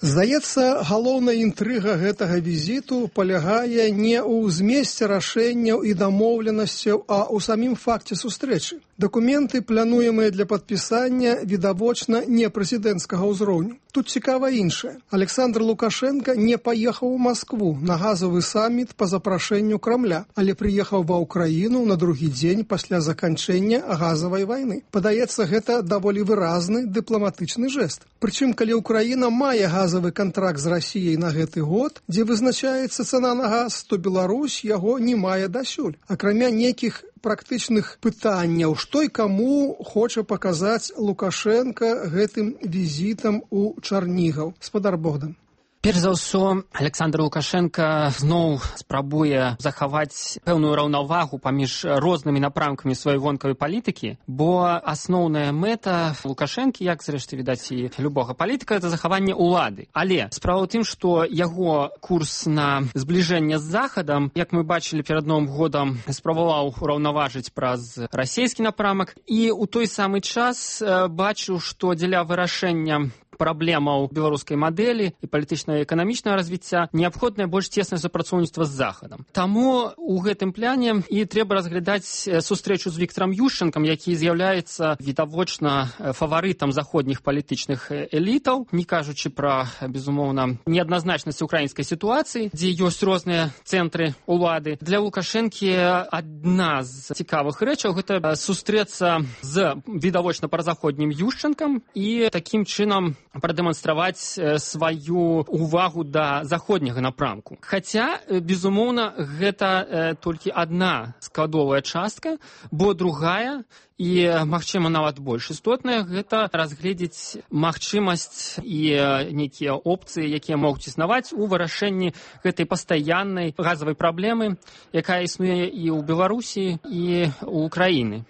[SPEAKER 8] Здаецца, галоўная інтрыга гэтага візіту палягае не ў змесце рашэнняў і дамоўленасцяў, а ў самім факце сустрэчы. Дакументы, плануемыя для падпісання, відавочна не прэзідэнцкага ўзроўню. Тут цікава іншае. Александр Лукашенко не паехаў у Маскву на газавы саміт па запрашэнню Крамля, але прыехаў ва ўкраіну на другі дзень пасля заканчэння газавай вайны. Падаецца, гэта даволі выразны дыпламатычны жэст. Прычым, калі Украіна мае газавы кантракт з Расіяй на гэты год, дзе вызначаецца цана на газ, то Беларусь яго не мае дасюль. Акрамя нейкіх практычных пытанняў, што і каму хоча паказаць Лукашенко гэтым візітам у Чарнігаў. Спадар Богдан.
[SPEAKER 10] Перш за ўсё, Александр Лукашенко зноў спрабуе захаваць пэўную раўнавагу паміж рознымі напрамкамі сваёй вонкавай палітыкі, бо асноўная мэта Лукашэнкі, як зрэшты відаць і любога палітыка, это захаванне ўлады. Але справа ў тым, што яго курс на збліжэнне з Захадам, як мы бачылі перад Новым годам, спрабаваў ураўнаважыць праз расійскі напрамак, і ў той самы час бачыў, што дзеля вырашэння праблемаў беларускай мадэлі і палітычнага і эканамічнага развіцця неабходнае больш цеснае супрацоўніцтва з Захадам. Таму ў гэтым пляне і трэба разглядаць сустрэчу з Віктарам Ющэнкам, які з'яўляецца відавочна фаварытам заходніх палітычных элітаў, не кажучы пра, безумоўна, неадназначнасць украінскай сітуацыі, дзе ёсць розныя цэнтры ўлады. Для Лукашэнкі адна з цікавых рэчаў гэта сустрэцца з відавочна празаходнім Ющэнкам і такім чынам прадэманстраваць сваю увагу да заходняга напрамку. Хаця, безумоўна, гэта толькі адна складовая частка, бо другая і, магчыма, нават больш істотная, гэта разгледзець магчымасць і нейкія опцыі, якія могуць існаваць у вырашэнні гэтай пастаяннай газавай праблемы, якая існуе і ў Беларусі, і ў Украіны.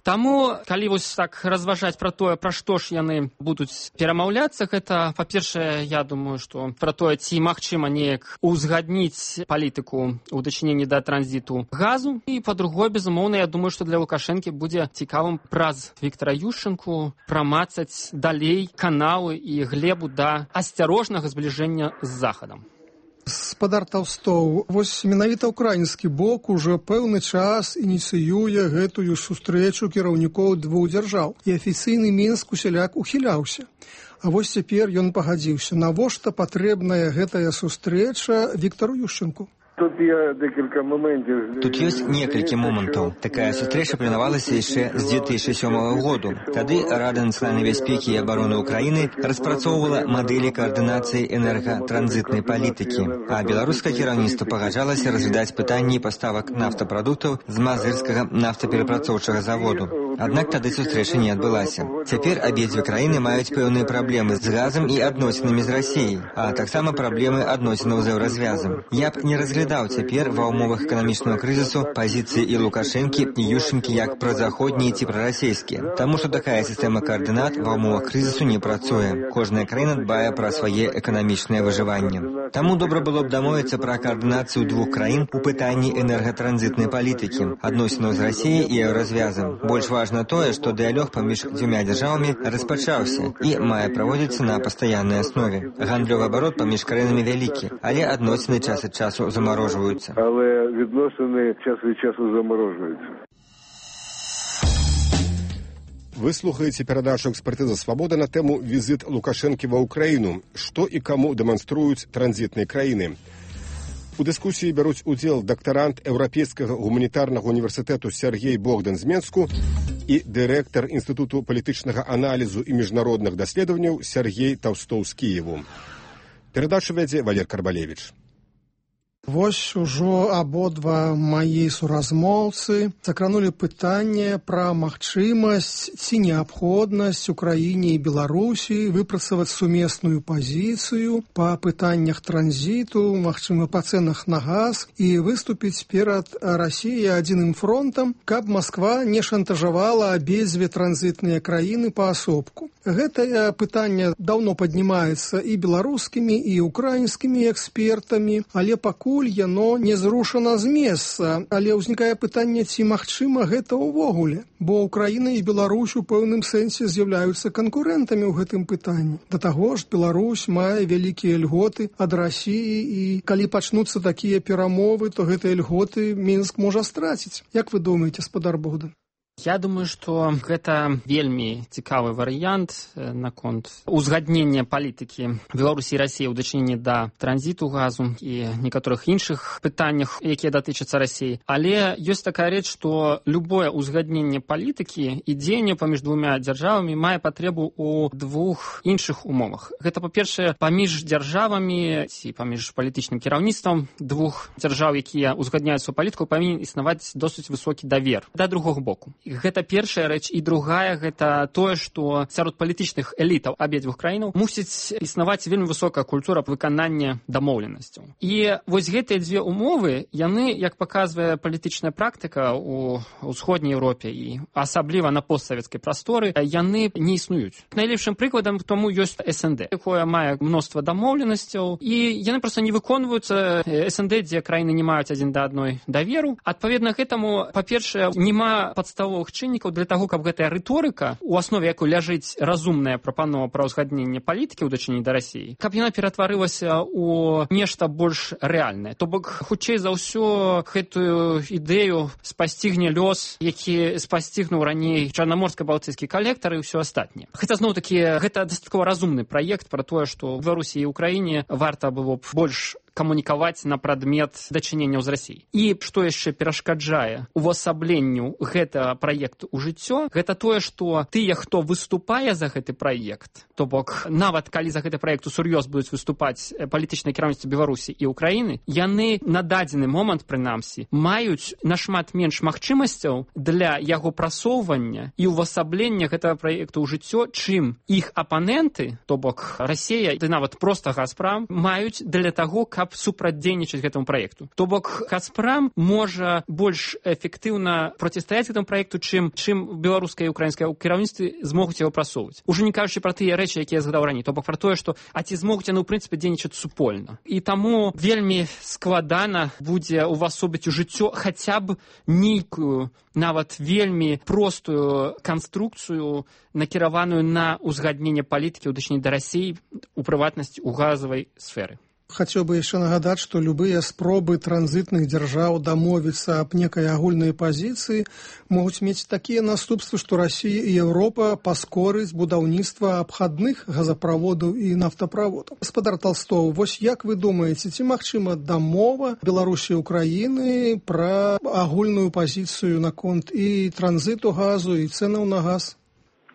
[SPEAKER 10] Таму, калі вось так разважаць пра тое, пра што ж яны будуць перамаўляцца, гэта, па-першае, я думаю, што пра тое, ці магчыма неяк узгадніць палітыку ў дачыненні да транзіту газу, і, па-другое, безумоўна, я думаю, што для Лукашэнкі будзе цікавым праз Віктара Ющэнку прамацаць далей каналы і глебу да асцярожнага збліжэння з Захадам.
[SPEAKER 8] Спадар Таўстоў, вось менавіта ўкраінскі бок ужо пэўны час ініцыюе гэтую сустрэчу кіраўнікоў двух дзяржаў, і афіцыйны Мінск усяляк ухіляўся. А вось цяпер ён пагадзіўся. Навошта патрэбная гэтая сустрэча Віктару Ющэнку?
[SPEAKER 13] Тут ёсць некалькі момантаў. Такая сустрэча планавалася яшчэ з две тысячы сёмага году. Тады Рада нацыянальнай бяспекі і абароны Украіны распрацоўвала мадэлі каардынацыі энергатранзітнай палітыкі, а беларускае кіраўніцтва пагаджалася разглядаць пытанні паставак нафтапрадуктаў з мазырскага нафтаперапрацоўчага заводу. Аднак тады сустрэча не адбылася. Цяпер абедзве краіны маюць пэўныя праблемы з газам і адносінамі з Расіяй, а таксама праблемы адносінаў з еўразвязам. Я б не разглядаў цяпер ва ўмовах эканамічнага крызісу пазіцыі і Лукашэнкі, і Ющэнкі як празаходнія ці прарасійскія. Таму што такая сістэма каардынат ва ўмовах крызісу не працуе. Кожная краіна дбае пра свае эканамічнае выжыванне. Таму добра было б дамовіцца пра каардынацыю двух краін у пытанні энергатранзітнай палітыкі, адносінаў з Расіяй і еўразвязам. Больш важна тое, што дыялог паміж дзвюма дзяржавамі распачаўся і мае праводзіцца на пастаяннай аснове. Гандлёвы абарот паміж краінамі вялікі, але адносіны час ад часу замарожваюцца.
[SPEAKER 14] Але відносини час від часу заморожуються.
[SPEAKER 5] Вы слухаеце перадачу «Экспертыза Свабода» на тэму «Візит Лукашэнкі ва Ўкраіну. Што і каму дэманструюць транзітныя краіны». У дыскусіі бяруць удзел дактарант Еўрапейскага гуманітарнага універсітэту Сергей Богдан з Менску і дырэктар Інстытуту палітычнага аналізу і міжнародных даследаванняў Сергей Таўстоў з Кіеву. Перадачу вядзе Валер Карбалевіч.
[SPEAKER 8] Вось ужо абодва маі суразмоўцы закранулі пытанне пра магчымасць ці неабходнасць Украіне і Беларусі выпрацаваць сумесную пазіцыю па пытаннях транзіту, магчыма, па цэнах на газ і выступіць перад Расіяй адзіным фронтам, каб Масква не шантажавала абедзве транзітныя краіны паасобку. Гэтае пытанне даўно паднімаецца і беларускімі, і украінскімі экспертамі, але пакуль яно не зрушана з месца. Але ўзнікае пытанне, ці магчыма гэта ўвогуле, бо Украіна і Беларусь у пэўным сэнсе з'яўляюцца канкурэнтамі ў гэтым пытанні. Да таго ж, Беларусь мае вялікія льготы ад Расіі, і калі пачнуцца такія перамовы, то гэтыя льготы Мінск можа страціць. Як вы думаеце, спадар Богдан?
[SPEAKER 10] Я думаю, што гэта вельмі цікавы варыянт наконт узгаднення палітыкі Беларусі і Расіі ў дачыненні да транзіту газу і некаторых іншых пытаннях, якія датычацца Расіі. Але ёсць такая рэч, што любое узгадненне палітыкі і дзеянне паміж двумя дзяржавамі мае патрэбу ў двух іншых умовах. Гэта, па-першае, паміж дзяржавамі ці паміж палітычным кіраўніцтвам двух дзяржаў, якія узгадняюць сваю палітыку, павінен існаваць досыць высокі давер да другога боку. Гэта першая рэч. І другая, гэта тое, што сярод палітычных элітаў абедзвюх краінаў мусіць існаваць вельмі высокая культура выканання дамоўленасцяў. І вось гэтыя дзве умовы, яны, як паказвае палітычная практыка ў ўсходняй Еўропе і асабліва на постсавецкай прасторы, яны не існуюць. Найлепшым прыкладам тому ёсць эс эн дэ, якое мае мноства дамоўленасцяў, і яны проста не выконваюцца. эс эн дэ, дзе краіны не маюць адзін да адной даверу. Адпаведна гэтаму, па-першае, няма падставовых чыннікаў для таго, каб гэтая рыторыка, у аснове якой ляжыць разумная прапанова пра ўзгадненне палітыкі ў дачыненні да Расіі, каб яна ператварылася ў нешта больш рэальнае. То бок, хутчэй за ўсё, гэтую ідэю спасцігне лёс, які спасцігнуў раней чарнаморска-балтыйскі калектар і ўсё астатняе. Хаця, зноў-такі, гэта дастаткова разумны праект пра тое, што ў Беларусі і Украіне варта было б больш камунікаваць на прадмет дачыненняў з Расіяй. І што яшчэ перашкаджае увасабленню гэтага праекту ў жыццё, гэта тое, што тыя, хто выступае за гэты праект, то бок нават калі за гэты праект усур'ёз будуць выступаць палітычнае кіраўніцтва Беларусі і Украіны, яны на дадзены момант, прынамсі, маюць нашмат менш магчымасцяў для яго прасоўвання і увасаблення гэтага праекту ў жыццё, чым іх апаненты, то бок Расія, ды нават проста Газпрам, маюць для таго, каб супрацьдзейнічаць гэтаму праекту. То бок Газпрам можа больш эфектыўна процістаяць гэтаму праекту, чым чым беларускае і украінскае кіраўніцтвы змогуць яго прасоўваць. Ужо не кажучы пра тыя рэчы, якія я згадаў раней, то бок пра тое, што а ці змогуць яны ў прынцыпе дзейнічаць супольна. І таму вельмі складана будзе увасобіць у жыццё хаця б нейкую, нават вельмі простую канструкцыю, накіраваную на ўзгадненне палітыкі ў дачыненні да Расіі, у прыватнасці ў газавай сферы.
[SPEAKER 8] Хацеў бы яшчэ нагадаць, што любыя спробы транзітных дзяржаў дамовіцца аб некай агульнай пазіцыі могуць мець такія наступствы, што Расія і Еўропа паскорыць будаўніцтва абхадных газаправодаў і нафтаправодаў. Гаспадар Талстоў, вось як вы думаеце, ці магчыма дамова Беларусі і Украіны пра агульную пазіцыю наконт і транзіту газу, і цэнаў на газ?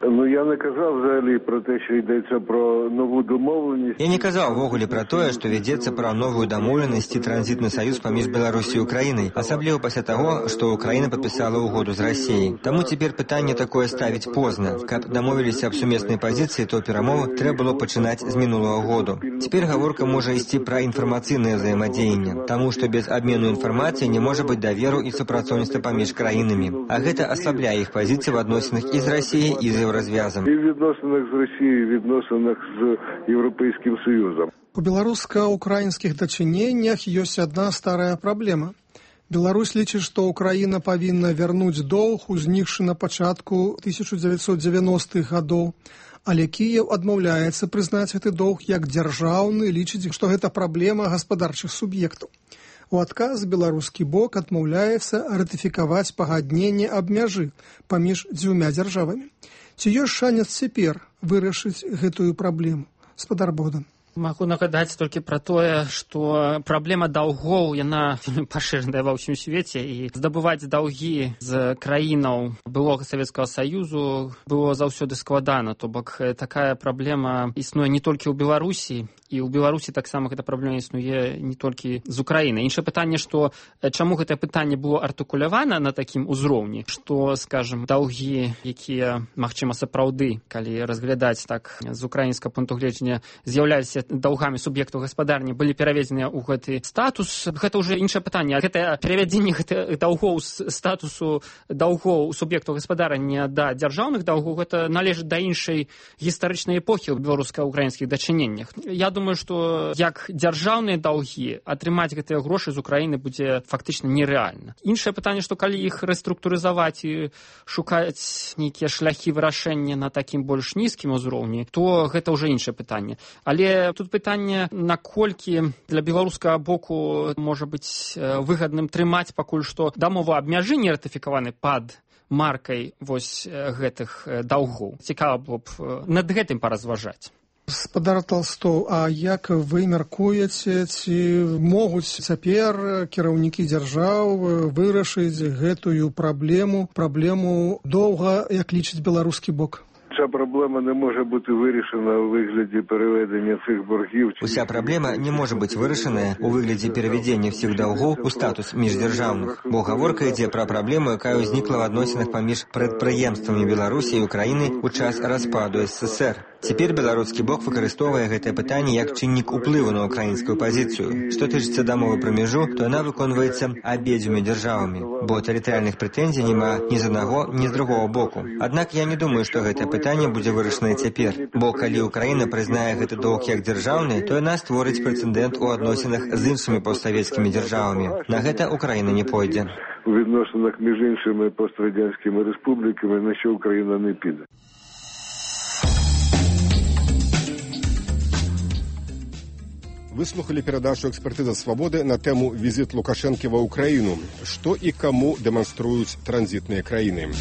[SPEAKER 14] Ну, я не казав взагалі про те, що йдеться про нову домовленість.
[SPEAKER 13] Я не казав ввогуле про тое, што вядзецца пра новую дамоўленасць і транзітны саюз паміж Беларусі і Украінай, асабліва пасля таго, што Украіна падпісала ўгоду з Расіяй. Таму цяпер пытанне такое ставіць позна. Каб дамовіліся аб сумеснай пазіцыі, то перамовы трэба было пачынаць з мінулага году. Цяпер гаворка можа ісці пра інфармацыйнае ўзаемадзеянне, таму што без абмену інфармацыі не можа быць даверу і супрацоўніцтва паміж краінамі. А гэта аслабляе іх пазіцыі в адносінах і з Расіяй, і з Еўразвязам.
[SPEAKER 14] І в відносинах з Росією, і в відносинах з Європейським Союзом.
[SPEAKER 8] У беларуска-украінскіх дачыненнях ёсць адна старая праблема. Беларусь лічыць, што Украіна павінна вярнуць доўг, узнікшы на пачатку тысяча дзевяцьсот дзевяностых гадоў, але Кіеў адмаўляецца прызнаць гэты доўг як дзяржаўны, лічыць, што гэта праблема гаспадарчых суб'ектаў. У адказ беларускі бок адмаўляецца ратыфікаваць пагадненне аб мяжы паміж дзвюма дзяржавамі. Ці ёсць шанец цяпер вырашыць гэтую праблему? Гаспадар Богдан.
[SPEAKER 10] Магу нагадаць толькі пра тое, што праблема даўгоў, яна пашыраная ва ўсім свеце, і здабываць даўгі з краінаў былога Савецкага Саюзу было заўсёды складана. То бок такая праблема існуе не толькі ў Беларусі, і ў Беларусі таксама гэта праблема існуе не толькі з Украіны. Іншае пытанне, што чаму гэтае пытанне было артыкулявана на такім узроўні, што, скажам, даўгі, якія, магчыма, сапраўды, калі разглядаць так з украінскага пункту гледжання, з'яўляліся даўгамі суб'ектаў гаспадарні, былі пераведзеныя ў гэты статус. Гэта ўжо іншае пытанне. Гэтае перавядзенне гэтых даўгоў з статусу даўгоў суб'ектаў гаспадарання да дзяржаўных даўгоў, гэта належыць да іншай гістарычнай эпохі ў беларуска-украінскіх дачыненнях. Я думаю, што як дзяржаўныя даўгі атрымаць гэтыя грошы з Украіны будзе фактычна нерэальна. Іншае пытанне, што калі іх рэструктурызаваць і шукаць нейкія шляхі вырашэння на такім больш нізкім узроўні, то гэта ўжо іншае пытанне. Але тут пытанне, наколькі для беларускага боку можа быць выгадным трымаць пакуль што дамову аб мяжы не ратыфікаваны пад маркай вось гэтых даўгоў. Цікава было б над гэтым паразважаць.
[SPEAKER 8] Гаспадар Талстоў, а як вы мяркуеце, ці могуць цяпер кіраўнікі дзяржаў вырашыць гэтую праблему, праблему доўга, як лічыць беларускі бок?
[SPEAKER 14] Ця проблема не може бути вирішена у вигляді переведення цих боргів.
[SPEAKER 13] Уся праблема не може бути вирішена у вигляді переведення всіх долгов у статус міждержавних, бо гаворка йде про проблему, яка узнікла в відносинах поміж прадпрыемствамі Беларусі і України у час распаду эс эс эс эр. Цяпер беларускі бок выкарыстоўвае гэтае пытанне як чыннік уплыву на украінскую пазіцыю. Што тычыцца дамовы пра мяжу, то яна выконваецца абедзвюма дзяржавамі, бо тэрытарыяльных прэтэнзій няма ні з аднаго, ні з другого боку. Аднак я не думаю, што гэтае пытанне будзе вырашанае цяпер, бо калі Украіна прызнае гэты доўг як дзяржаўны, то яна створыць прэцэдэнт у адносінах з іншымі постсавецкімі дзяржавамі. На гэта Украіна не пойдзе.
[SPEAKER 14] У відносинах між іншими пострадянськими республіками, на що Україна не піде.
[SPEAKER 5] Выслухали перадачу «Экспертиза свободы» на тему «Визит Лукашенко в Украину. Что и кому демонструют транзитные краины».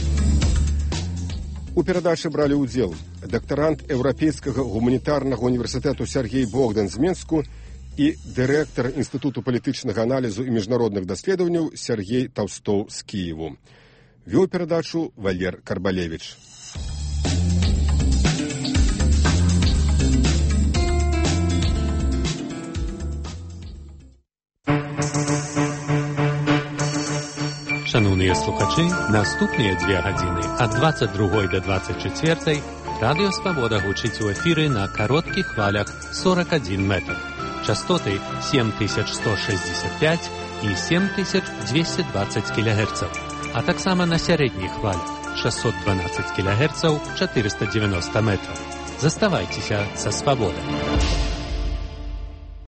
[SPEAKER 5] У перадачы брали удзел дактарант Еўрапейскага гуманітарнага універсітэту Сергей Богдан з Менску і дырэктар Інстытуту палітычнага аналізу і міжнародных даследаванняў Сергей Таўстоў з Кіеву. Вёў перадачу Валер Карбалевіч.
[SPEAKER 11] Шановні слухачі, наступні дві години від двадцять другої до двадцять четвертої Радіо Свобода гучить у ефірі на коротких хвалях сорок один метр. Частоти сім тисяч сто шістдесят п'ять і сім тисяч двісті двадцять кілогерців, а так само на середніх хвалях шістсот дванадцять кілогерців чотириста дев'яносто метрів. Заставайтеся со Свободой.